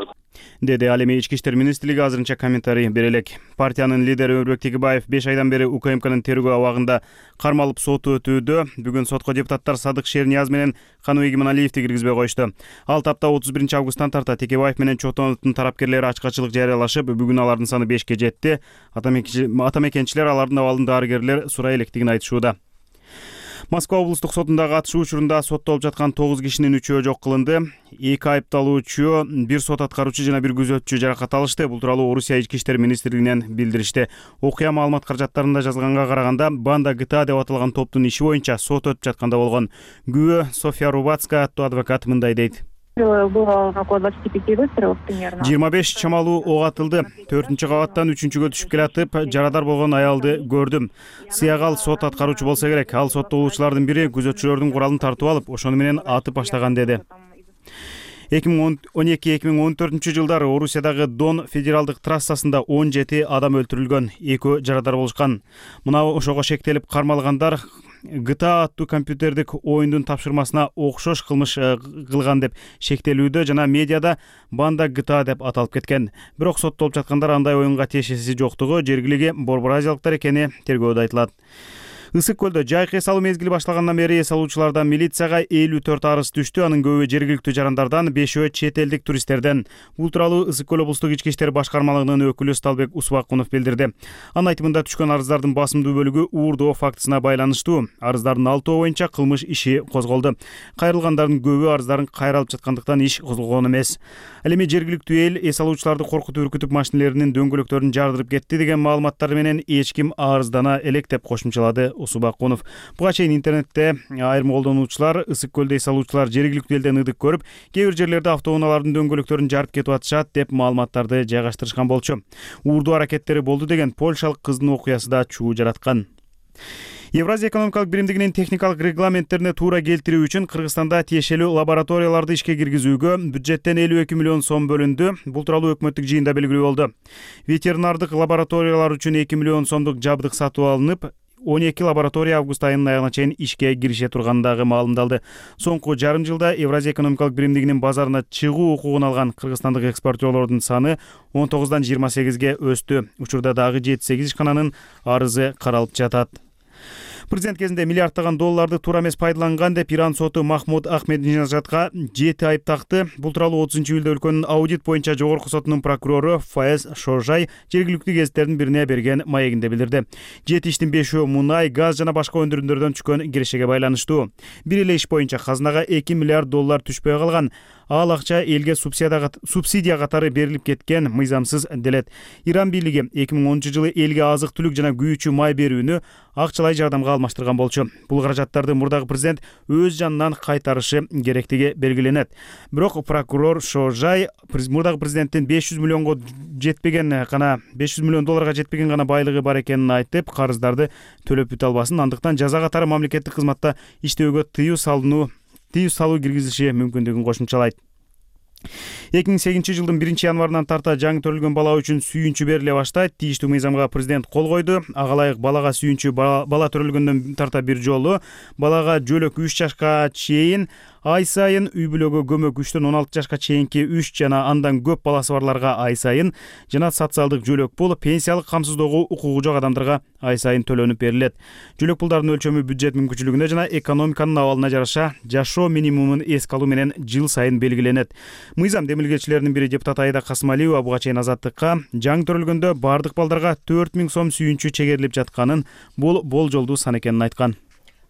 Деди. Ал эми Ички иштер министрлиги азырынча комментарий бере элек. Партиянын лидери Өмүрбек Тегибаев беш айдан бери УКМКнын тергөө абагында кармалып соту өтүүдө. Бүгүн сотко депутаттар Садык Шернияз менен Каныбек Игиманалиевди киргизбей коюшту. Ал тапта отуз биринчи августтан тарта Тегибаев менен Чотоновдун тарапкерлери ачкачылык жарыялашып, бүгүн алардын саны бешке жетти. Ата мекенчилер алардын абалын дарыгерлер сурай электигин айтышууда. Москва облустук сотундагы атышуу учурунда соттолуп жаткан тогуз кишинин үчөө жок кылынды. Эки айыпталуучу, бир сот аткаруучу жана бир күзөтчү жаракат алышты. Бул тууралуу Орусия Ички иштер министрлигинен билдиришти. Окуя маалымат каражаттарында жазылганга караганда, банда ГТА деп аталган топтун иши боюнча сот өтүп жатканда болгон. Күбө София Рубацкая аттуу адвокат мындай дейт. жыйырма беш чамалуу ок атылды. төртүнчү кабаттан үчүнчүгө түшүп келатып, жарадар болгон аялды көрдүм. Сыягал сот аткаруучу болсо керек. Ал соттолуучулардын бири күзөтчүлөрдүн куралын тартып алып, ошону менен атып баштаган деди. эки миң он эки эки миң он төртүнчү жылдары Орусиядагы Дон федералдык трассасында он жети адам өлтүрүлгөн, экөө жарадар болушкан. Мына ошого шектелип кармалгандар ГТА аттуу компьютердик оюндун тапшырмасына окшош кылмыш кылган деп шектелүүдө жана медиада банда ГТА деп аталып кеткен. Бирок соттолуп жаткандар андай оюнга тиешеси жоктугу, жергилиги борбор азиялыктар экени тергөөдө айтылат. Ысык көлдө жайкы эс алуу мезгили башталгандан бери эс алуучулардан милицияга элүү төрт арыз түштү. Анын көбү жергиликтүү жарандардан, бешөө чет элдик туристтерден. Бул тууралуу Ысык көл облустук ички иштер башкармалыгынын өкүлү Сталбек Усбакунов билдирди. Анын айтымында түшкөн арыздардын басымдуу бөлүгү уурдоо фактысына байланыштуу. Арыздардын алтоо боюнча кылмыш иши козголду. Кайрылгандардын көбү арыздарын кайра алып жаткандыктан иш козголгон эмес. Ал эми жергиликтүү эл эс алуучуларды коркутуп үркүтүп машинелеринин дөңгөлөктөрүн жардырып кетти деген маалыматтар менен эч ким арыздана элек деп кошумчалады Усубакунов. Буга чейин интернетте айрым колдонуучулар ысык көлдө эс алуучулар жергиликтүү элден ыдык көрүп, кээ бир жерлерде автоунаалардын дөңгөлөктөрүн жарып кетип атышат деп маалыматтарды жайгаштырышкан болчу. Уурдуу аракеттери болду деген польшалык кыздын окуясы да чуу жараткан. Евразия экономикалык биримдигинин техникалык регламенттерине туура келтирүү үчүн Кыргызстанда тиешелүү лабораторияларды ишке киргизүүгө бюджеттен элүү эки миллион сом бөлүндү. Бул тууралуу өкмөттүк жыйында белгилүү болду. Ветеринардык лабораториялар үчүн эки миллион сомдук жабдык сатып алынып, он эки лаборатория август айынын аягына чейин ишке кирише турганы дагы маалымдалды. Соңку жарым жылда Евразия экономикалык биримдигинин базарына чыгуу укугун алган кыргызстандык экспортерлордун саны он тогуздан жыйырма сегизге өстү. Учурда дагы жети сегиз ишкананын арызы каралып жатат. Президент кезинде миллиардтаган долларды туура эмес пайдаланган деп Иран соту Махмуд Ахмединежадга жети айып такты. Бул тууралуу отузунчу июлда өлкөнүн аудит боюнча жогорку сотунун прокурору Фаез Шожай жергиликтүү гезиттердин бирине берген маегинде билдирди. Жети иштин бешөө мунай, газ жана башка өндүрүмдөрдөн түшкөн кирешеге байланыштуу. Бир эле иш боюнча казынага эки миллиард доллар түшпөй калган. Ал акча элге субсидия катары берилип кеткен мыйзамсыз делет. Иран бийлиги эки миң онунчу жылы элге азык-түлүк жана күйүүчү май берүүнү акчалай жардамга алмаштырган болчу. Бул каражаттарды мурдагы президент өз жанынан кайтарышы керектиги белгиленет. Бирок прокурор Шожай мурдагы президенттин беш жүз миллионго жетпеген гана беш жүз миллион долларга жетпеген гана байлыгы бар экенин айтып, карыздарды төлөп бүтө албасын, андыктан жаза катары мамлекеттик кызматта иштөөгө тыюу салынуу тыюу салуу киргизилиши мүмкүндүгүн кошумчалайт. эки миң сегизинчи жылдын биринчи январынан тарта жаңы төрөлгөн бала үчүн сүйүнчү бериле баштайт. Тийиштүү мыйзамга президент кол койду. Ага ылайык балага сүйүнчү бала төрөлгөндөн тарта бир жолу, балага жөлөк үч жашка чейин, ай сайын, үй бүлөгө көмөк үчтөн он алты жашка чейинки үч жана андан көп баласы барларга ай сайын жана социалдык жөлөк пул пенсиялык камсыздоого укугу жок адамдарга ай сайын төлөнүп берилет. Жөлөк пулдардын өлчөмү бюджет мүмкүнчүлүгүнө жана экономиканын абалына жараша жашоо минимумун эске алуу менен жыл сайын белгиленет. Мыйзам демилгечилеринин бири депутат Айда Касымалиева буга чейин Азаттыкка жаңы төрөлгөндө бардык балдарга төрт миң сом сүйүнчү чегерилип жатканын, бул болжолдуу сан экенин айткан.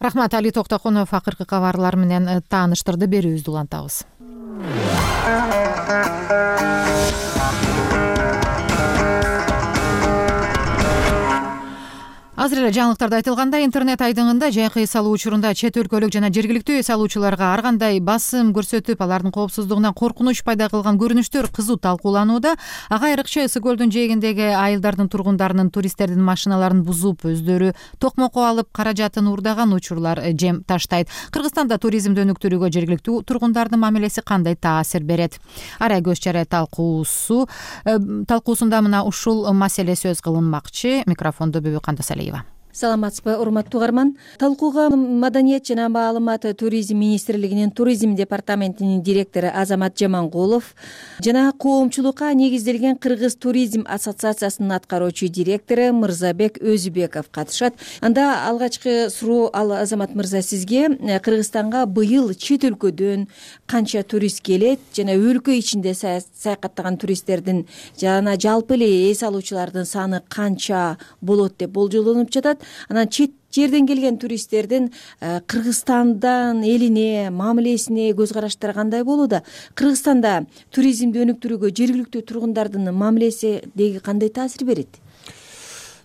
Рахмат, Али Токтокунов акыркы кабарлар менен тааныштырды. Берүүбүздү улантабыз. Азыр эле жаңылыктарда айтылгандай, интернет айдыңында жайкы эс алуу учурунда чет өлкөлүк жана жергиликтүү эс алуучуларга ар кандай басым көрсөтүп, алардын коопсуздугуна коркунуч пайда кылган көрүнүштөр кызуу талкууланууда. Ага айрыкча Ысык көлдүн жээгиндеги айылдардын тургундарынын туристтердин машиналарын бузуп, өздөрү токмокко алып каражатын уурдаган учурлар жем таштайт. Кыргызстанда туризмди өнүктүрүүгө жергиликтүү тургундардын мамилеси кандай таасир берет? Арай көз чарай талкуусу талкуусунда мына ушул маселе сөз кылынмакчы. Микрофонду Бүбү Кандасалиева. Саламатсызбы, урматтуу угарман. Талкууга Маданият жана маалымат туризм министрлигинин туризм департаментинин директору Азамат Жамангулов жана коомчулукка негизделген Кыргыз туризм ассоциациясынын аткаруучу директору Мырзабек Өзүбеков катышат. Анда алгачкы суроо, ал Азамат мырза, сизге Кыргызстанга быйыл чет өлкөдөн канча турист келет жана өлкө ичинде саякаттаган туристтердин жана жалпы эле эс алуучулардын саны канча болот деп болжолдонуп жатат? Анан чет жерден келген туристтердин Кыргызстандан элине, мамилесине көз караштары кандай болууда? Кыргызстанда туризмди өнүктүрүүгө жергиликтүү тургундардын мамилеси деги кандай таасир берет?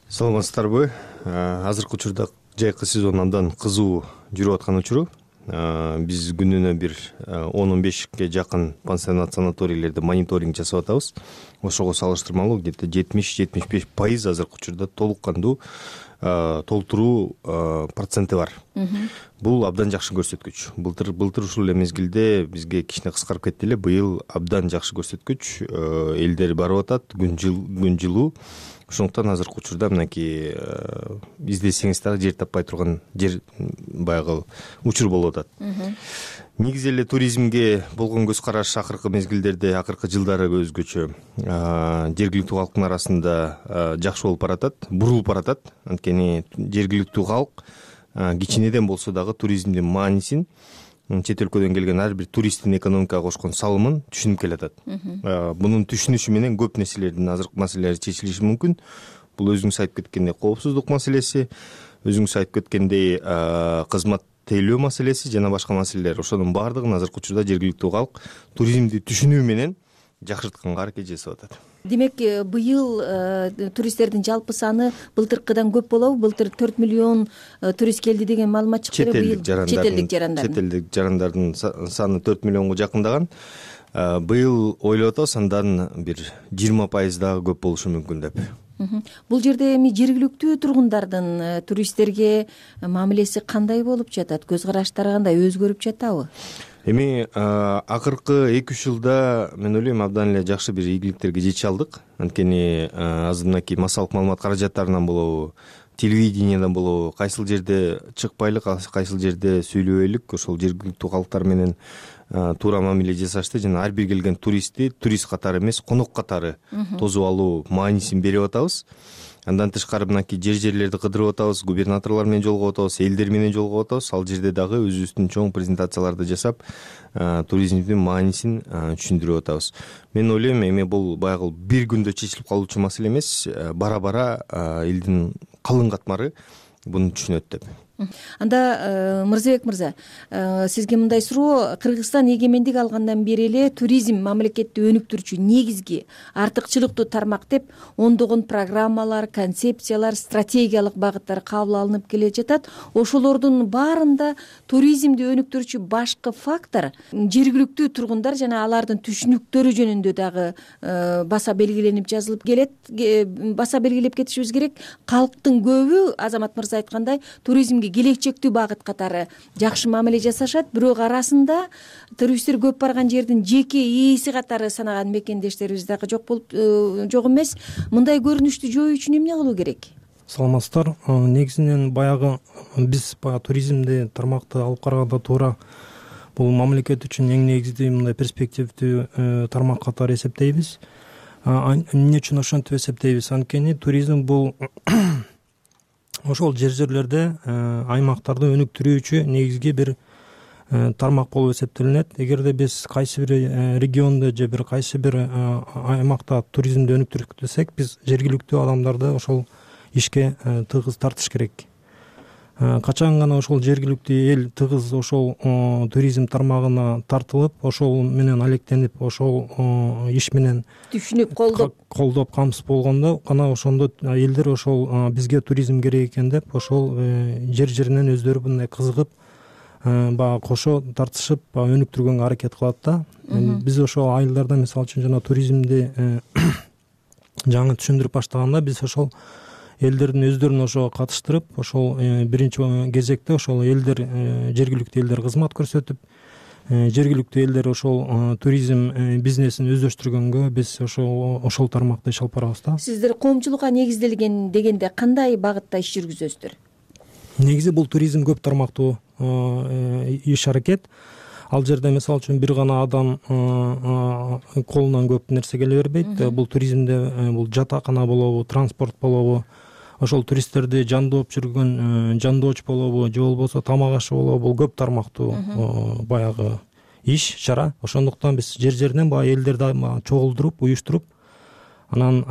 Саламатсыздарбы? Азыркы учурда жайкы сезон андан кызуу жүрүп аткан учуру. Биз күнүнө бир он он бешке жакын пансионат, санаторийлерде мониторинг жасап атабыз. Ошого салыштырмалуу где-то жетимиш жетимиш беш пайыз азыркы учурда толук кандуу толтуруу проценти бар. Бул абдан жакшы көрсөткүч. Былтыр былтыр ушул эле мезгилде бизге кичине кыскарып кетти эле. Быйыл абдан жакшы көрсөткүч. Элдер барып атат күн жылуу. Ошондуктан азыркы учурда мынакей издесеңиз дагы жер таппай турган жер баягы учур болуп атат. Негизи эле туризмге болгон көз караш акыркы мезгилдерде, акыркы жылдары өзгөчө. Жергиликтүү калктын арасында жакшы болуп баратат, бурулуп баратат. Анткени жергиликтүү калк кичинеден болсо дагы туризмдин маанисин, чет өлкөдөн келген ар бир туристтин экономикага кошкон салымын түшүнүп келатат. Мунун түшүнүшү менен көп нерселердин азыркы маселелери чечилиши мүмкүн. Бул өзүңүз айтып кеткендей коопсуздук маселеси, өзүңүз айтып кеткендей кызмат тейлөө маселеси жана башка маселелер. Ошонун баардыгын азыркы учурда жергиликтүү калк туризмди түшүнүү менен жакшыртканга аракет жасап атат. Демек быйыл туристтердин жалпы саны былтыркыдан көп болобу? Былтыр төрт миллион турист келди деген маалымат чыкты. Четелдик жарандардын четелдик жарандардын саны төрт миллионго жакындаган. Быйыл ойлоп атабыз андан бир жыйырма пайыз дагы көп болушу мүмкүн деп. Бул жерде эми жергиликтүү тургундардын туристтерге мамилеси кандай болуп жатат? Көз караштары кандай, өзгөрүп жатабы? Эми акыркы эки үч жылда мен ойлойм абдан эле жакшы бир ийгиликтерге жете алдык. Анткени азыр мынакей массалык маалымат каражаттарынан болобу, телевидениядан болобу, кайсыл жерде чыкпайлык, кайсыл жерде сүйлөбөйлүк, ошол жергиликтүү калктар менен туура мамиле жасашты жана ар бир келген туристти турист катары эмес, конок катары тосуп алуу маанисин берип атабыз. Андан тышкары мынакей жер жерлерди кыдырып атабыз, губернаторлор менен жолугуп атабыз, элдер менен жолугуп атабыз. Ал жерде дагы өзүбүздүн чоң презентацияларды жасап, туризмдин маанисин түшүндүрүп атабыз. Мен ойлойм, эми бул баягы бир күндө чечилип калуучу маселе эмес, бара-бара элдин калың катмары буну түшүнөт деп. Анда Мырзабек мырза, сизге мындай суроо: Кыргызстан эгемендик алгандан бери эле туризм мамлекетти өнүктүрүүчү негизги артыкчылыктуу тармак деп ондогон программалар, концепциялар, стратегиялык багыттар кабыл алынып келе жатат. Ошолордун баарында туризмди өнүктүрүүчү башкы фактор жергиликтүү тургундар жана алардын түшүнүктөрү жөнүндө дагы баса белгиленип жазылып келет. Баса белгилеп кетишибиз керек. Калктын көбү, Азамат мырза айткандай, туризмге келечектүү багыт катары жакшы мамиле жасашат, бирок арасында туристтер көп барган жердин жеке ээси катары санаган мекендештерибиз дагы жок болуп жок эмес. Мындай көрүнүштү жоюу үчүн эмне кылуу керек? Саламатсыздар. Негизинен баягы биз баягы туризмди тармакты алып караганда туура бул мамлекет үчүн эң негизги мындай перспективдүү тармак катары эсептейбиз. Эмне үчүн ошентип эсептейбиз? Анткени туризм бул ошол жер жерлерде аймактарды өнүктүрүүчү негизги бир тармак болуп эсептелинет. Эгерде биз кайсы бир региондо же бир кайсы бир аймакта туризмди өнүктүрүп десек, биз жергиликтүү адамдарды ошол ишке тыгыз тартыш керек. Качан гана ошол жергиликтүү эл тыгыз ошол туризм тармагына тартылып, ошол менен алектенип, ошол иш менен түшүнүп, колдоп колдоп камсыз болгондо гана ошондо элдер ошол бизге туризм керек экен деп ошол жер жеринен өздөрү мындай кызыгып, баягы кошо тартышып өнүктүргөнгө аракет кылат да. Биз ошол айылдарда мисалы үчүн жана туризмди жаңы түшүндүрүп баштаганда биз ошол элдердин өздөрүн ошого катыштырып, ошол биринчи кезекте ошол элдер, жергиликтүү элдер кызмат көрсөтүп, жергиликтүү элдер ошол туризм бизнесин өздөштүргөнгө биз ошол ошол тармакта иш алып барабыз да. Сиздер коомчулукка негизделген дегенде кандай багытта иш жүргүзөсүздөр? Негизи бул туризм көп тармактуу иш аракет. Ал жерде мисалы үчүн бир гана адам колунан көп нерсе келе бербейт. Бул туризмде бул жатакана болобу, транспорт болобу, ошол туристтерди жандооп жүргөн жандооч болобу, же болбосо тамак ашы болобу, бул көп тармактуу баягы иш, чара. Ошондуктан биз жер жеринен баягы элдерди чогулдуруп, уюштуруп, анан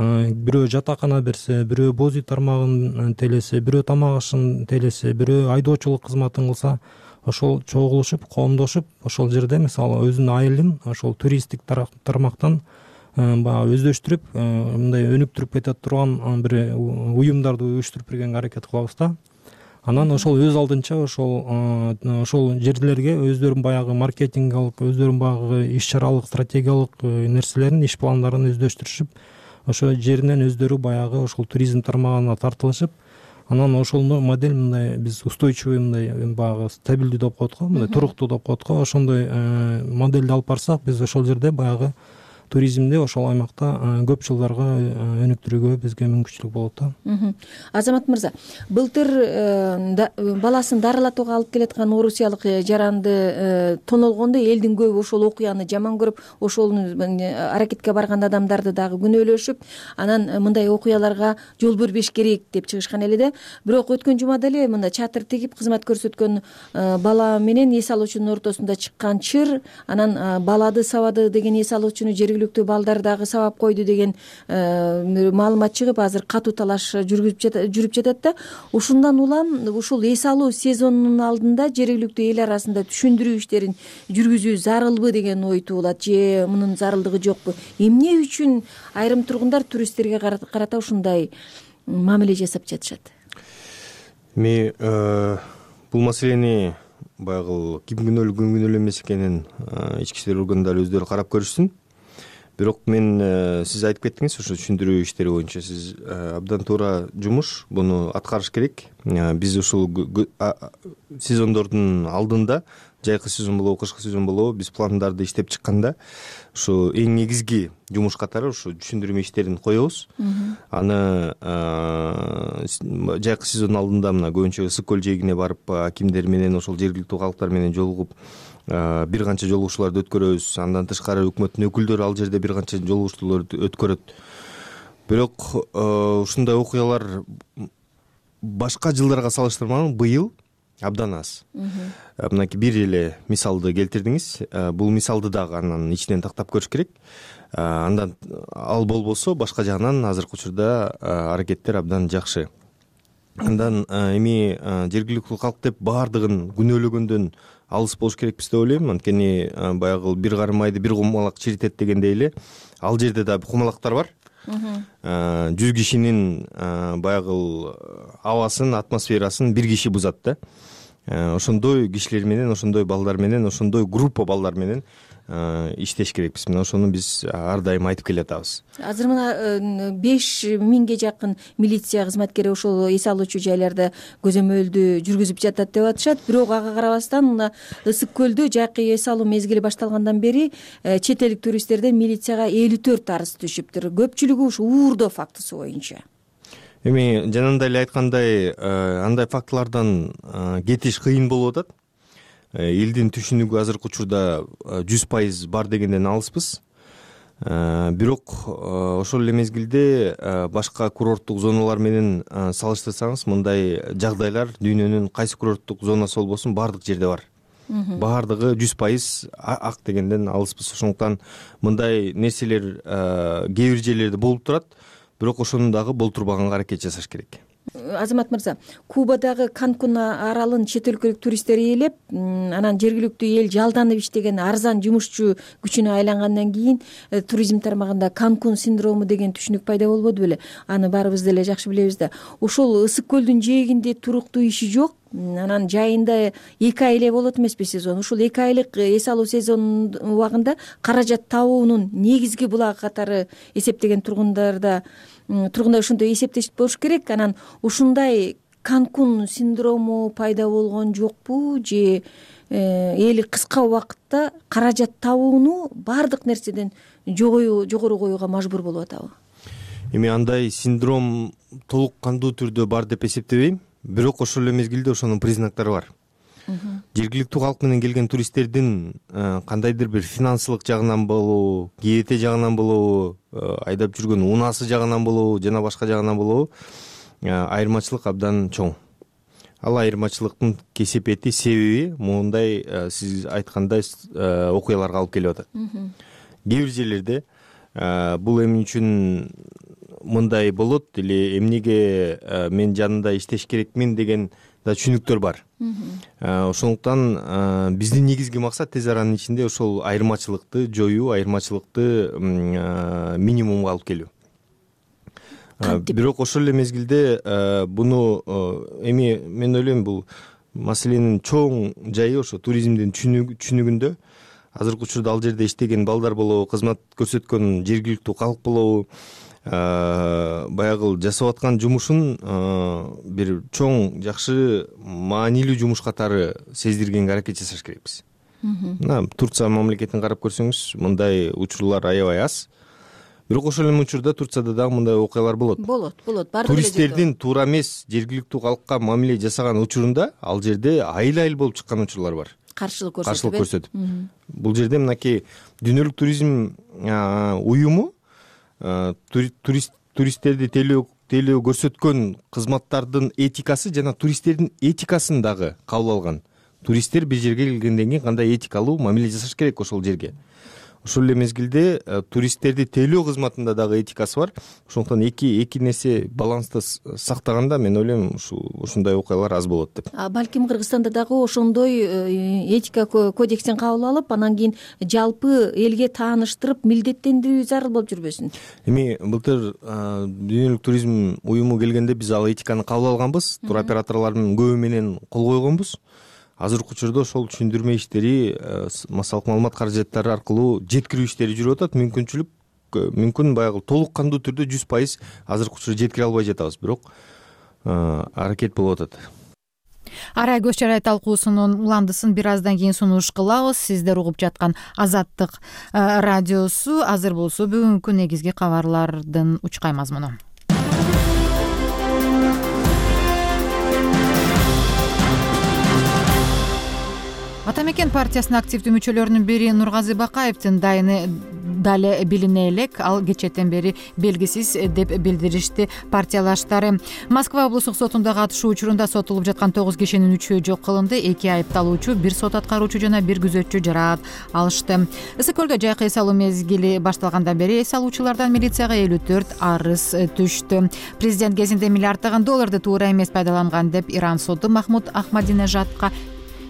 бирөө жатакана берсе, бирөө боз үй тармагын телесе, бирөө тамак ашын телесе, бирөө айдоочулук кызматын кылса, ошол чогулушуп, коомдошуп, ошол жерде мисалы өзүнүн айылын ошол туристтик тармактан баягы өздөштүрүп, мындай өнүктүрүп кете турган бир уюмдарды уюштуруп бергенге аракет кылабыз да. Анан ошол өз алдынча ошол ошол жерлерге өздөрүнүн баягы маркетингалык, өздөрүнүн баягы иш-чаралык, стратегиялык нерселерин, иш пландарын өздөштүрүшүп, ошол жеринен өздөрү баягы ошол туризм тармагына тартылышып, анан ошол модель мындай биз устойчивый мындай баягы стабилдүү деп коет го, мындай туруктуу деп коет го. Ошондой модельди алып барсак, биз ошол жерде баягы туризмди ошол аймакта көп жылдарга өнүктүрүүгө бизге мүмкүнчүлүк болот да. Азамат мырза, былтыр баласын дарылатууга алып келаткан орусиялык жаранды тонолгондо элдин көбү ошол окуяны жаман көрүп, ошол аракетке барган адамдарды дагы күнөөлөшүп, анан мындай окуяларга жол бербеш керек деп чыгышкан эле да. Бирок өткөн жумада эле мында чатыр тигип кызмат көрсөткөн бала менен эс алуучунун ортосунда чыккан чыр, анан балады сабады деген эс алуучуну жерге жергиликтүү балдар дагы сабап койду деген маалымат чыгып, азыр катуу талаш жүрүп жатат да. Ушундан улам ушул эс алуу сезонунун алдында жергиликтүү эл арасында түшүндүрүү иштерин жүргүзүү зарылбы деген ой туулат, же мунун зарылдыгы жокпу? Эмне үчүн айрым тургундар туристтерге карата ушундай мамиле жасап жатышат? Эми бул маселени баягы ким күнөөлүү ким күнөөлүү эмес экенин ички иштер органдары өздөрү карап көрүшсүн. Бирок мен сиз айтып кеттиңиз, ошо түшүндүрүү иштери боюнча сиз абдан туура жумуш, буну аткарыш керек. Биз ушул сезондордун алдында, жайкы сезон болобу, кышкы сезон болобу, биз пландарды иштеп чыкканда ушу эң негизги жумуш катары ушу түшүндүрмө иштерин коебуз. Аны жайкы сезондун алдында мына көбүнчө Ысык көл жээгине барып акимдер менен, ошол жергиликтүү калктар менен жолугуп бир канча жолугушууларды өткөрөбүз. Андан тышкары өкмөттүн өкүлдөрү ал жерде бир канча жолугушууларды өткөрөт. Бирок ушундай окуялар башка жылдарга салыштырмалуу быйыл абдан аз. Мынакей бир эле мисалды келтирдиңиз. Бул мисалды дагы анан ичинен тактап көрүш керек. Андан ал болбосо башка жагынан азыркы учурда аракеттер абдан жакшы. Андан эми жергиликтүү калк деп баардыгын күнөөлөгөндөн алыс болуш керекпиз деп ойлойм. Анткени баягы бир карым майды бир кумалак чиритет дегендей эле ал жерде да кумалактар бар. Жүз кишинин баягы абасын, атмосферасын бир киши бузат да. Ошондой кишилер менен, ошондой балдар менен, ошондой группа балдар менен иштеш керекпиз. Мына ошону биз ар дайым айтып келатабыз. Азыр мына беш миңге жакын милиция кызматкери ошол эс алуучу жайларда көзөмөлдү жүргүзүп жатат деп атышат. Бирок ага карабастан мына Ысык көлдө жайкы эс алуу мезгили башталгандан бери чет элдик туристтерден милицияга элүү төрт арыз түшүптүр. Көпчүлүгү ушу уурдоо фактысы боюнча. Эми жанагындай эле айткандай, андай фактылардан кетиш кыйын болуп атат. Элдин түшүнүгү азыркы учурда жүз пайыз бар дегенден алыспыз. Бирок ошол эле мезгилде башка курорттук зоналар менен салыштырсаңыз, мындай жагдайлар дүйнөнүн кайсы курорттук зонасы болбосун баардык жерде бар. Баардыгы жүз пайыз ак дегенден алыспыз. Ошондуктан мындай нерселер кээ бир жерлерде болуп турат, бирок ошону дагы болтурбаганга аракет жасаш керек. Азамат мырза, Кубадагы Канкун аралын чет өлкөлүк туристтер ээлеп, анан жергиликтүү эл жалданып иштеген арзан жумушчу күчүнө айлангандан кийин туризм тармагында Канкун синдрому деген түшүнүк пайда болбоду беле? Аны баарыбыз деле жакшы билебиз да. Ошол Ысык көлдүн жээгинде туруктуу иши жок, анан жайында эки ай эле болот эмеспи сезон. Ушул эки айлык эс алуу сезонунун убагында каражат табуунун негизги булагы катары эсептеген тургундарда тургундар ошондой эсептешип болуш керек. Анан ушундай Канкун синдрому пайда болгон жокпу, же эли кыска убакытта каражат табууну баардык нерседен жогору коюуга мажбур болуп атабы? Эми андай синдром толук кандуу түрдө бар деп эсептебейм. Бирок ошол эле мезгилде ошонун признактары бар. Жергиликтүү калк менен келген туристтердин кандайдыр бир финансылык жагынан болобу, кээте жагынан болобу, айдап жүргөн унаасы жагынан болобу, жана башка жагынан болобу, айырмачылык абдан чоң. Ал айырмачылыктын кесепети, себеби моундай сиз айткандай окуяларга алып келип атат. Кээ бир жерлерде бул эмне үчүн мындай болот эле, эмнеге мен жанында иштеш керекмин деген да түшүнүктөр бар. Ошондуктан биздин негизги максат тез аранын ичинде ошол айырмачылыкты жоюу, айырмачылыкты минимумга алып келүү. Бирок ошол эле мезгилде буну эми мен ойлойм, бул маселенин чоң жайы ошо туризмдин түшүнүгүндө. Азыркы учурда ал жерде иштеген балдар болобу, кызмат көрсөткөн жергиликтүү калк болобу, баягы жасап аткан жумушун бир чоң, жакшы, маанилүү жумуш катары сездиргенге аракет жасаш керекпиз. Мына Турция мамлекетин карап көрсөңүз, мындай учурлар аябай аз. Бирок ошол эле учурда Турцияда дагы мындай окуялар болот. Болот, болот. Туристтердин туура эмес жергиликтүү калкка мамиле жасаган учурунда ал жерде айыл-айыл болуп чыккан учурлар бар. Каршылык көрсөтүп. Каршылык көрсөтүп. Бул жерде мынакей дүйнөлүк туризм уюму туристтерди тейлөө көрсөткөн кызматтардын этикасы жана туристтердин этикасын дагы кабыл алган. Туристтер бир жерге келгенден кийин кандай этикалуу мамиле жасаш керек ошол жерге. ошол эле мезгилде туристтерди тейлөө кызматында дагы этикасы бар. Ошондуктан эки эки нерсе баланста сактаганда мен ойлойм ушул ушундай окуялар аз болот деп. Балким Кыргызстанда дагы ошондой этика кодексин кабыл алып, анан кийин жалпы элге тааныштырып милдеттендирүү зарыл болуп жүрбөсүн. Эми былтыр дүйнөлүк туризм уюму келгенде биз ал этиканы кабыл алганбыз. Туроператорлордун көбү менен кол койгонбуз. Азыркы учурда ошол түшүндүрмө иштери, массалык маалымат каражаттары аркылуу жеткирүү иштери жүрүп атат. Мүмкүнчүлүк мүмкүн баягы толук кандуу түрдө жүз пайыз азыркы учурда жеткире албай жатабыз, бирок аракет болуп атат. Арай көз чарай талкуусунун уландысын бир аздан кийин сунуш кылабыз. Сиздер угуп жаткан Азаттык радиосу. Азыр болсо бүгүнкү негизги кабарлардын учкай мазмуну. Ата мекен партиясынын активдүү мүчөлөрүнүн бири Нургазы Бакаевдин дайыны дале билине элек. Ал кечээден бери белгисиз деп билдиришти партиялаштары. Москва облустук сотунда катышуу учурунда сотулуп жаткан тогуз кишинин үчөө жок кылынды. Эки айыпталуучу, бир сот аткаруучу жана бир күзөтчү жараат алышты. Ысык көлдө жайкы эс алуу мезгили башталгандан бери эс алуучулардан милицияга элүү төрт арыз түштү. Президент кезинде миллиарддаган долларды туура эмес пайдаланган деп Иран соду Махмуд Ахмадинежадка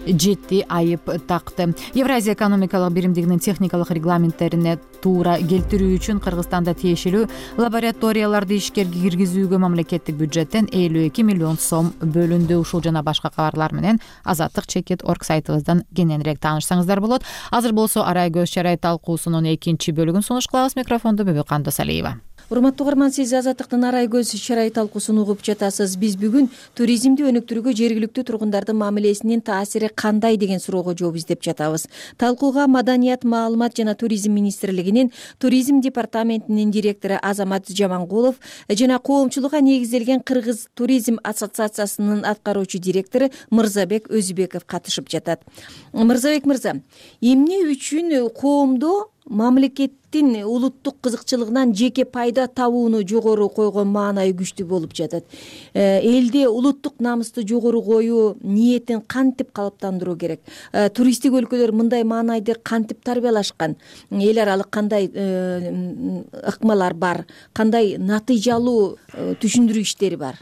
жети айып такты. Евразия экономикалык биримдигинин техникалык регламенттерине туура келтирүү үчүн Кыргызстанда тиешелүү лабораторияларды ишкерге киргизүүгө мамлекеттик бюджеттен элүү эки миллион сом бөлүндү. Ушул жана башка кабарлар менен Азаттык чекит орг сайтыбыздан кененирээк таанышсаңыздар болот. Азыр болсо Арай көз чарай талкуусунун экинчи бөлүгүн сунуш кылабыз. Микрофонду Бүбү Кандосалиева. Урматтуу угарман, сиз Азаттыктын Арай көз чарай талкуусун угуп жатасыз. Биз бүгүн туризмди өнүктүрүүгө жергиликтүү тургундардын мамилесинин таасири кандай деген суроого жооп издеп жатабыз. Талкууга Маданият, маалымат жана туризм министрлигинин туризм департаментинин директору Азамат Жамангулов жана коомчулукка негизделген Кыргыз туризм ассоциациясынын аткаруучу директору Мырзабек Өзүбеков катышып жатат. Мырзабек мырза, эмне үчүн коомдо мамлекеттин улуттук кызыкчылыгынан жеке пайда табууну жогору койгон маанайы күчтүү болуп жатат? Элде улуттук намысты жогору коюу ниетин кантип калыптандыруу керек? Туристтик өлкөлөр мындай маанайды кантип тарбиялашкан? Эл аралык кандай ыкмалар бар? Кандай натыйжалуу түшүндүрүү иштери бар?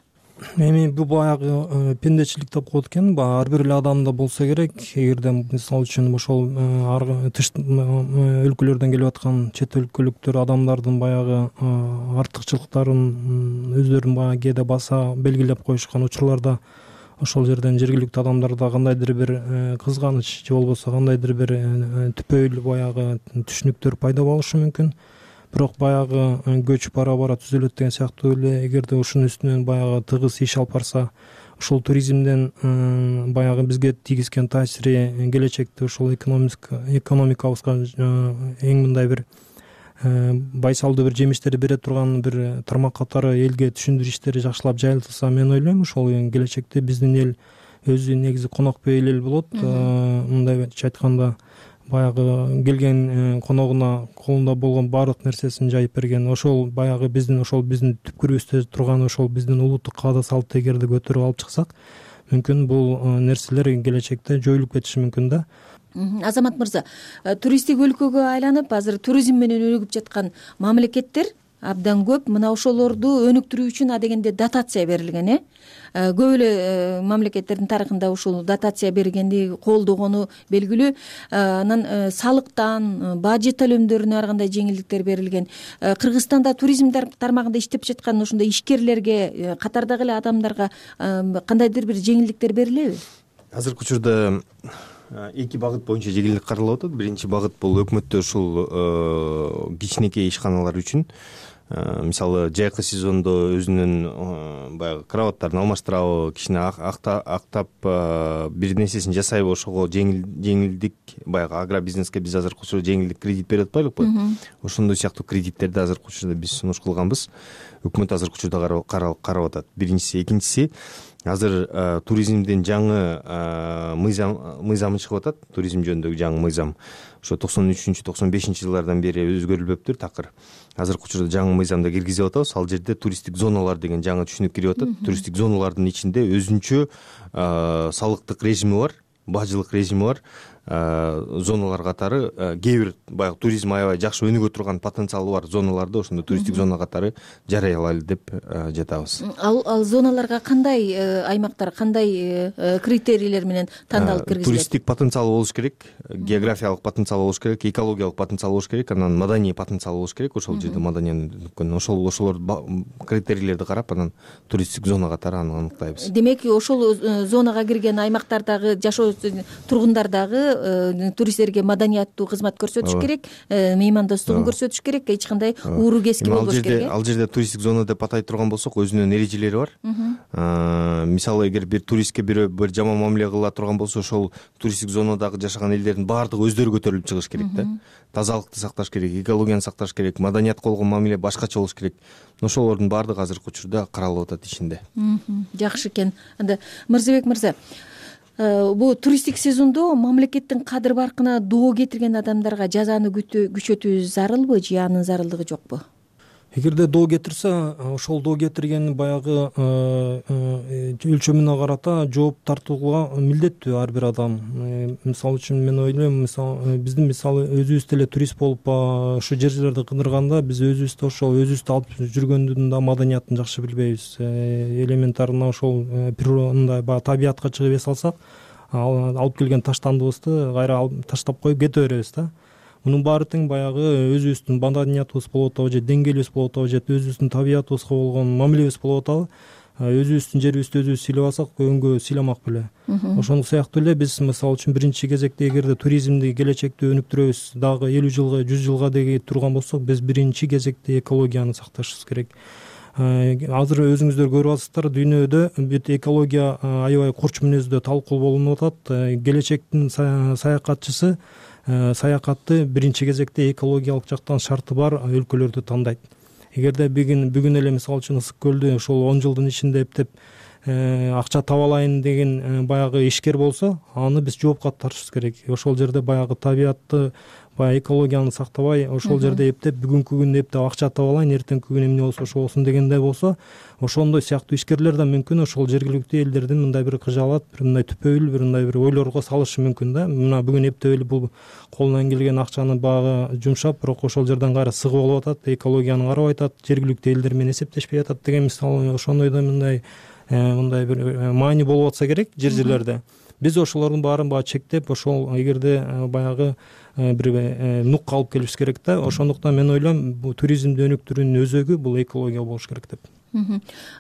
Эми бул баягы пендечилик деп коет экен. Ар бир эле адамда болсо керек. Эгерде мисалы үчүн ошол тыш өлкөлөрдөн келип аткан чет өлкөлүктөр адамдардын баягы артыкчылыктарын өздөрүн баягы кээде баса белгилеп коюшкан учурларда ошол жерден жергиликтүү адамдарда кандайдыр бир кызганыч же болбосо кандайдыр бир түпөйүл баягы түшүнүктөр пайда болушу мүмкүн. Бирок баягы көч бара бара түзөлөт деген сыяктуу эле, эгерде ушунун үстүнөн баягы тыгыз иш алып барса, ошол туризмден баягы бизге тийгизген таасири келечекте ошол экономикабызга эң мындай бир байсалдуу бир жемиштер бере турган бир тармак катары элге түшүндүрүү иштери жакшылап жайылтылса, мен ойлойм ошол келечекте биздин эл өзү негизи конок бейил эл болот. Мындайча айтканда баягы келген коногуна колунда болгон баардык нерсесин жайып берген. Ошол баягы биздин ошол биздин түпкүрүбүздө турган ошол биздин улуттук каада салтты эгерде көтөрүп алып чыксак, мүмкүн бул нерселер келечекте жоюлуп кетиши мүмкүн да. Азамат мырза, туристтик өлкөгө айланып, азыр туризм менен өнүгүп жаткан мамлекеттер абдан көп. Мына ошолорду өнүктүрүү үчүн адегенде дотация берилген, э? Көп эле мамлекеттердин тарыхында ушул дотация бергенди колдогону белгилүү. Анан салыктан, бажы төлөмдөрүнө ар кандай жеңилдиктер берилген. Кыргызстанда туризм тармагында иштеп жаткан ушундай ишкерлерге, катардагы эле адамдарга кандайдыр бир жеңилдиктер берилеби? Азыркы учурда эки багыт боюнча жеңилдик каралып атат. Биринчи багыт бул өкмөттө ушул кичинекей ишканалар үчүн, мисалы жайкы сезондо өзүнүн баягы кроваттарын алмаштырабы, кичине актап бир нерсесин жасайбы, ошого жеңилдик, баягы агробизнеске биз азыркы учурда жеңилдик кредит берип атпайлыкпы? Ошондой сыяктуу кредиттерди азыркы учурда биз сунуш кылганбыз. Өкмөт азыркы учурда карап атат. Биринчиси, экинчиси, азыр туризмдин жаңы мыйзамы чыгып атат. Туризм жөнүндөгү жаңы мыйзам ошо токсон үчүнчү токсон бешинчи жылдардан бери өзгөрүлбөптүр такыр. Азыркы учурда жаңы мыйзамда киргизип атабыз. Ал жерде туристтик зоналар деген жаңы түшүнүк кирип атат. Туристтик зоналардын ичинде өзүнчө салыктык режими бар, бажылык режими бар. зоналар катары кээ бир баягы туризм аябай жакшы өнүгө турган потенциалы бар зоналарды ошондой туристтик зона катары жарыялайлы деп жатабыз. Ал ал зоналарга кандай аймактар, кандай критерийлер менен тандалып киргизилет? Туристтик потенциалы болуш керек, географиялык потенциалы болуш керек, экологиялык потенциалы болуш керек, анан маданий потенциалы болуш керек. Ошол жерде маданиянын ошол ошолор критерийлерди карап анан туристтик зона катары аны аныктайбыз. Демек, ошол зонага кирген аймактардагы жашоо тургундар дагы туристтерге маданияттуу кызмат көрсөтүш керек, меймандостугун көрсөтүш керек, эч кандай ууру кески болбош керек. Ал жерде туристтик зона деп атай турган болсок, өзүнүн эрежелери бар. Мисалы, эгер бир туристке бирөө бир жаман мамиле кыла турган болсо, ошол туристтик зонадагы жашаган элдердин баардыгы өздөрү көтөрүлүп чыгыш керек да. Тазалыкты сакташ керек, экологияны сакташ керек, маданиятка болгон мамиле башкача болуш керек. Ошолордун баардыгы азыркы учурда каралып атат ишинде. Жакшы экен. Анда Мырзабек мырза, бул туристтик сезондо мамлекеттин кадыр баркына доо кетирген адамдарга жазаны күчөтүү зарылбы же анын зарылдыгы жокпу? Эгерде доо кетирсе, ошол доо кетиргени баягы өлчөмүнө карата жооп тартууга милдеттүү ар бир адам. Мисалы үчүн мен ойлойм, мисалы биздин мисалы өзүбүз деле турист болуп ошо жерлерди кыдырганда биз өзүбүздө ошол өзүбүздү алып жүргөндүн да маданиятын жакшы билбейбиз. Элементарно ошол природный баягы табиятка чыгып эс алсак, алып келген таштандыбызды кайра таштап коюп кете беребиз да. Мунун баары тең баягы өзүбүздүн маданиятыбыз болуп атабы же деңгээлибиз болуп атабы же өзүбүздүн табиятыбызга болгон мамилебиз болуп атабы, өзүбүздүн жерибизди өзүбүз сыйлап алсак көбүнгө сыйламак беле. Ошондой сыяктуу эле биз мисалы үчүн биринчи кезекте эгерде туризмди келечекте өнүктүрөбүз, дагы элүү жылга, жүз жылга деги турган болсок, биз биринчи кезекте экологияны сакташыбыз керек. Азыр өзүңүздөр көрүп атасыздар, дүйнөдө бүт экология аябай курч мүнөздө талкуу болуп атат. Келечектин саякатчысы саякатты биринчи кезекте экологиялык жактан шарты бар өлкөлөрдү тандайт. Эгерде бүгүн бүгүн эле мисалы үчүн Ысык көлдү ошол он жылдын ичинде эптеп акча таба алайын деген баягы ишкер болсо, аны биз жоопко тартышыбыз керек. Ошол жерде баягы табиятты, баягы экологияны сактабай, ошол жерде эптеп бүгүнкү күндө эптеп акча таба алайын, эртеңки күнү эмне болсо ошо болсун дегенде болсо, ошондой сыяктуу ишкерлер да мүмкүн ошол жергиликтүү элдердин мындай бир кыжаалат, бир мындай түпөйүл, бир мындай бир ойлорго салышы мүмкүн да. Мына бүгүн эптеп эле бул колунан келген акчаны багы жумшап, бирок ошол жерден кайра сыгып алып атат, экологияны карабай атат, жергиликтүү элдер менен эсептешпей атат деген мисалы ошондойдо мындай мындай бир маани болуп атса керек жер жерлерде. Биз ошолордун баарын баягы чектеп, ошол эгерде баягы бир нукка алып келишибиз керек да. Ошондуктан мен ойлойм, бул туризмди өнүктүрүүнүн өзөгү бул экология болуш керек деп.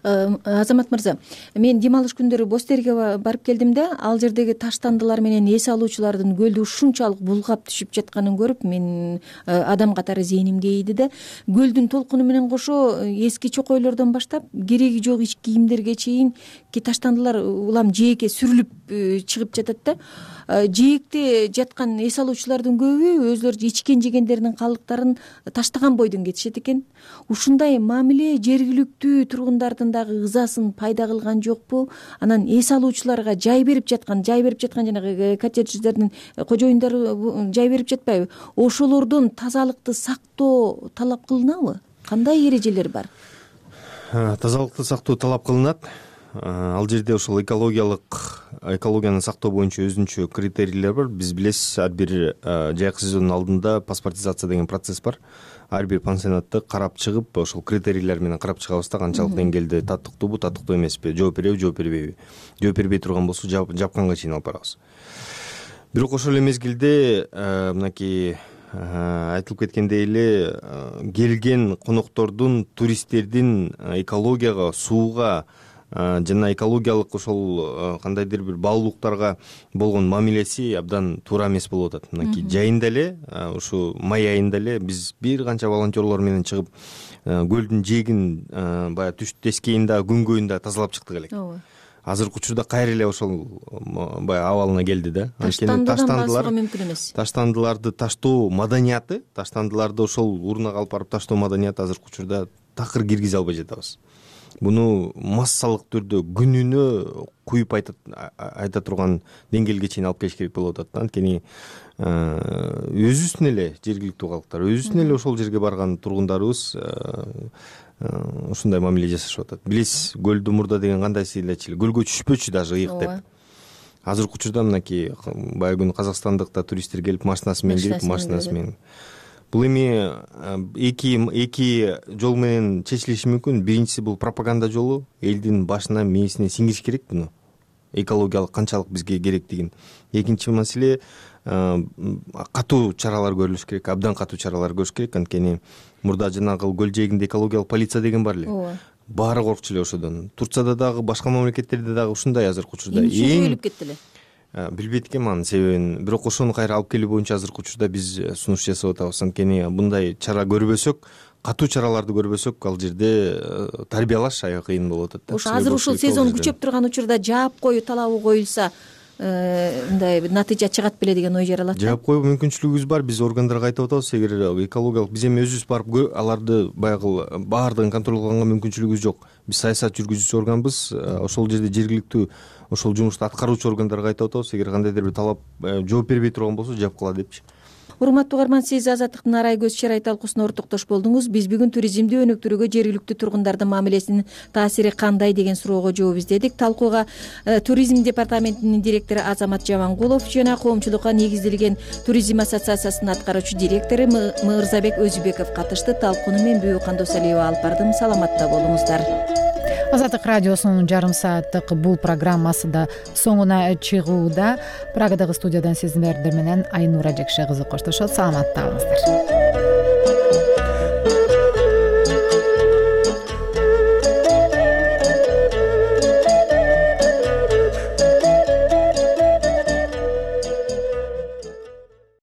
Азамат мырза, мен дем алыш күндөрү Бостерге барып келдим да, ал жердеги таштандылар менен эс алуучулардын көлдү ушунчалык булгап түшүп жатканын көрүп, мен адам катары зээнимге ийди да. Көлдүн толкуну менен кошо эски чокойлордон баштап кереги жок ич кийимдерге чейин ки таштандылар улам жээкке сүрүлүп чыгып жатат да. Жээкте жаткан эс алуучулардын көбү өзлөрү ичкен жегендеринин калдыктарын таштаган бойдон кетишет экен. Ушундай мамиле жергиликтүү тургундардын дагы ызасын пайда кылган жокпу? Анан эс алуучуларга жай берип жаткан, жай берип жаткан жанагы коттедждердин кожоюндары жай берип жатпайбы? Ошолордон тазалыкты сактоо талап кылынабы? Кандай эрежелер бар? Тазалыкты сактоо талап кылынат. Ал жерде ошол экологиялык экологияны сактоо боюнча өзүнчө критерийлер бар. Биз билесиз, ар бир жайкы сезондун алдында паспортизация деген процесс бар. Ар бир пансионатты карап чыгып, ошол критерийлер менен карап чыгабыз да, канчалык деңгээлде татыктуубу, татыктуу эмеспи, жооп береби, жооп бербейби. Жооп бербей турган болсо жапканга чейин алып барабыз. Бирок ошол эле мезгилде мынакей айтылып кеткендей эле келген коноктордун, туристтердин экологияга, сууга жана экологиялык ошол кандайдыр бир баалуулуктарга болгон мамилеси абдан туура эмес болуп атат. Мынакей жайында эле, ушу май айында эле биз бир канча волонтерлор менен чыгып көлдүн жээгин баягы түш тескейин да, күнгөйүн да тазалап чыктык элек. Азыркы учурда кайра эле ошол баягы абалына келди да. Анткени таштандылар мүмкүн эмес. Таштандыларды таштоо маданияты, таштандыларды ошол урнага алып барып таштоо маданияты азыркы учурда такыр киргизе албай жатабыз. Буну массалык түрдө күнүнө куюп айта турган деңгээлге чейин алып келиш керек болуп атат. Анткени өзүбүздүн эле жергиликтүү калктар, өзүбүздүн эле ошол жерге барган тургундарыбыз ушундай мамиле жасашып атат. Билесиз, көлдү мурда деген кандай сыйлачы эле, көлгө түшпөчү даже ыйык деп. азыркы учурда мынакей баягы күнү казакстандык да туристтер келип машинасы менен кирип машинасы менен. Бул эми эки эки жол менен чечилиши мүмкүн. Биринчиси бул пропаганда жолу, элдин башына мээсине сиңириш керек буну. Экологиялык канчалык бизге керектигин. Экинчи маселе катуу чаралар көрүлүш керек, абдан катуу чаралар көрүш керек. Анткени мурда жанагы көл жээгинде экологиялык полиция деген бар эле. Ооба. Баары коркчу эле ошодон. Турцияда дагы, башка мамлекеттерде дагы ушундай азыркы учурда. Эмне өлүп кетти эле? Билбейт экенмин анын себебин. Бирок ошону кайра алып келүү боюнча азыркы учурда биз сунуш жасап атабыз. Анткени мындай чара көрбөсөк, катуу чараларды көрбөсөк, ал жерде тарбиялаш аябай кыйын болуп атат да. Ошо азыр ушул сезон күчөп турган учурда жаап коюу талабы коюлса, мындай натыйжа чыгат беле деген ой жаралат. Жаап коюу мүмкүнчүлүгүбүз бар. Биз органдарга айтып атабыз, эгер экологиялык биз эми өзүбүз барып аларды баягы баардыгын контролдоого мүмкүнчүлүгүбүз жок. Биз саясат жүргүзүүчү органбыз. Ошол жерде жергиликтүү ошол жумушту аткаруучу органдарга айтып атабыз, эгер кандайдыр бир талап жооп бербей турган болсо жаап кала депчи. Урматтуу угарман, сиз Азаттыктын арай көз чырай талкуусуна ортоктош болдуңуз. Биз бүгүн туризмди өнүктүрүүгө жергиликтүү тургундардын мамилесинин таасири кандай деген суроого жооп издедик. Талкууга туризм департаментинин директору Азамат Жамангулов жана коомчулукка негизделген туризм ассоциациясынын аткаруучу директору Мырзабек Өзүбеков катышты. Талкууну мен Бүбү Кандосалиева алып бардым. Саламатта болуңуздар. Азаттык радиосунун жарым сааттык бул программасы да соңуна чыгууда. Прагадагы студиядан сиздер менен Айнура Жекше кызы коштошот. Саламатта калыңыздар.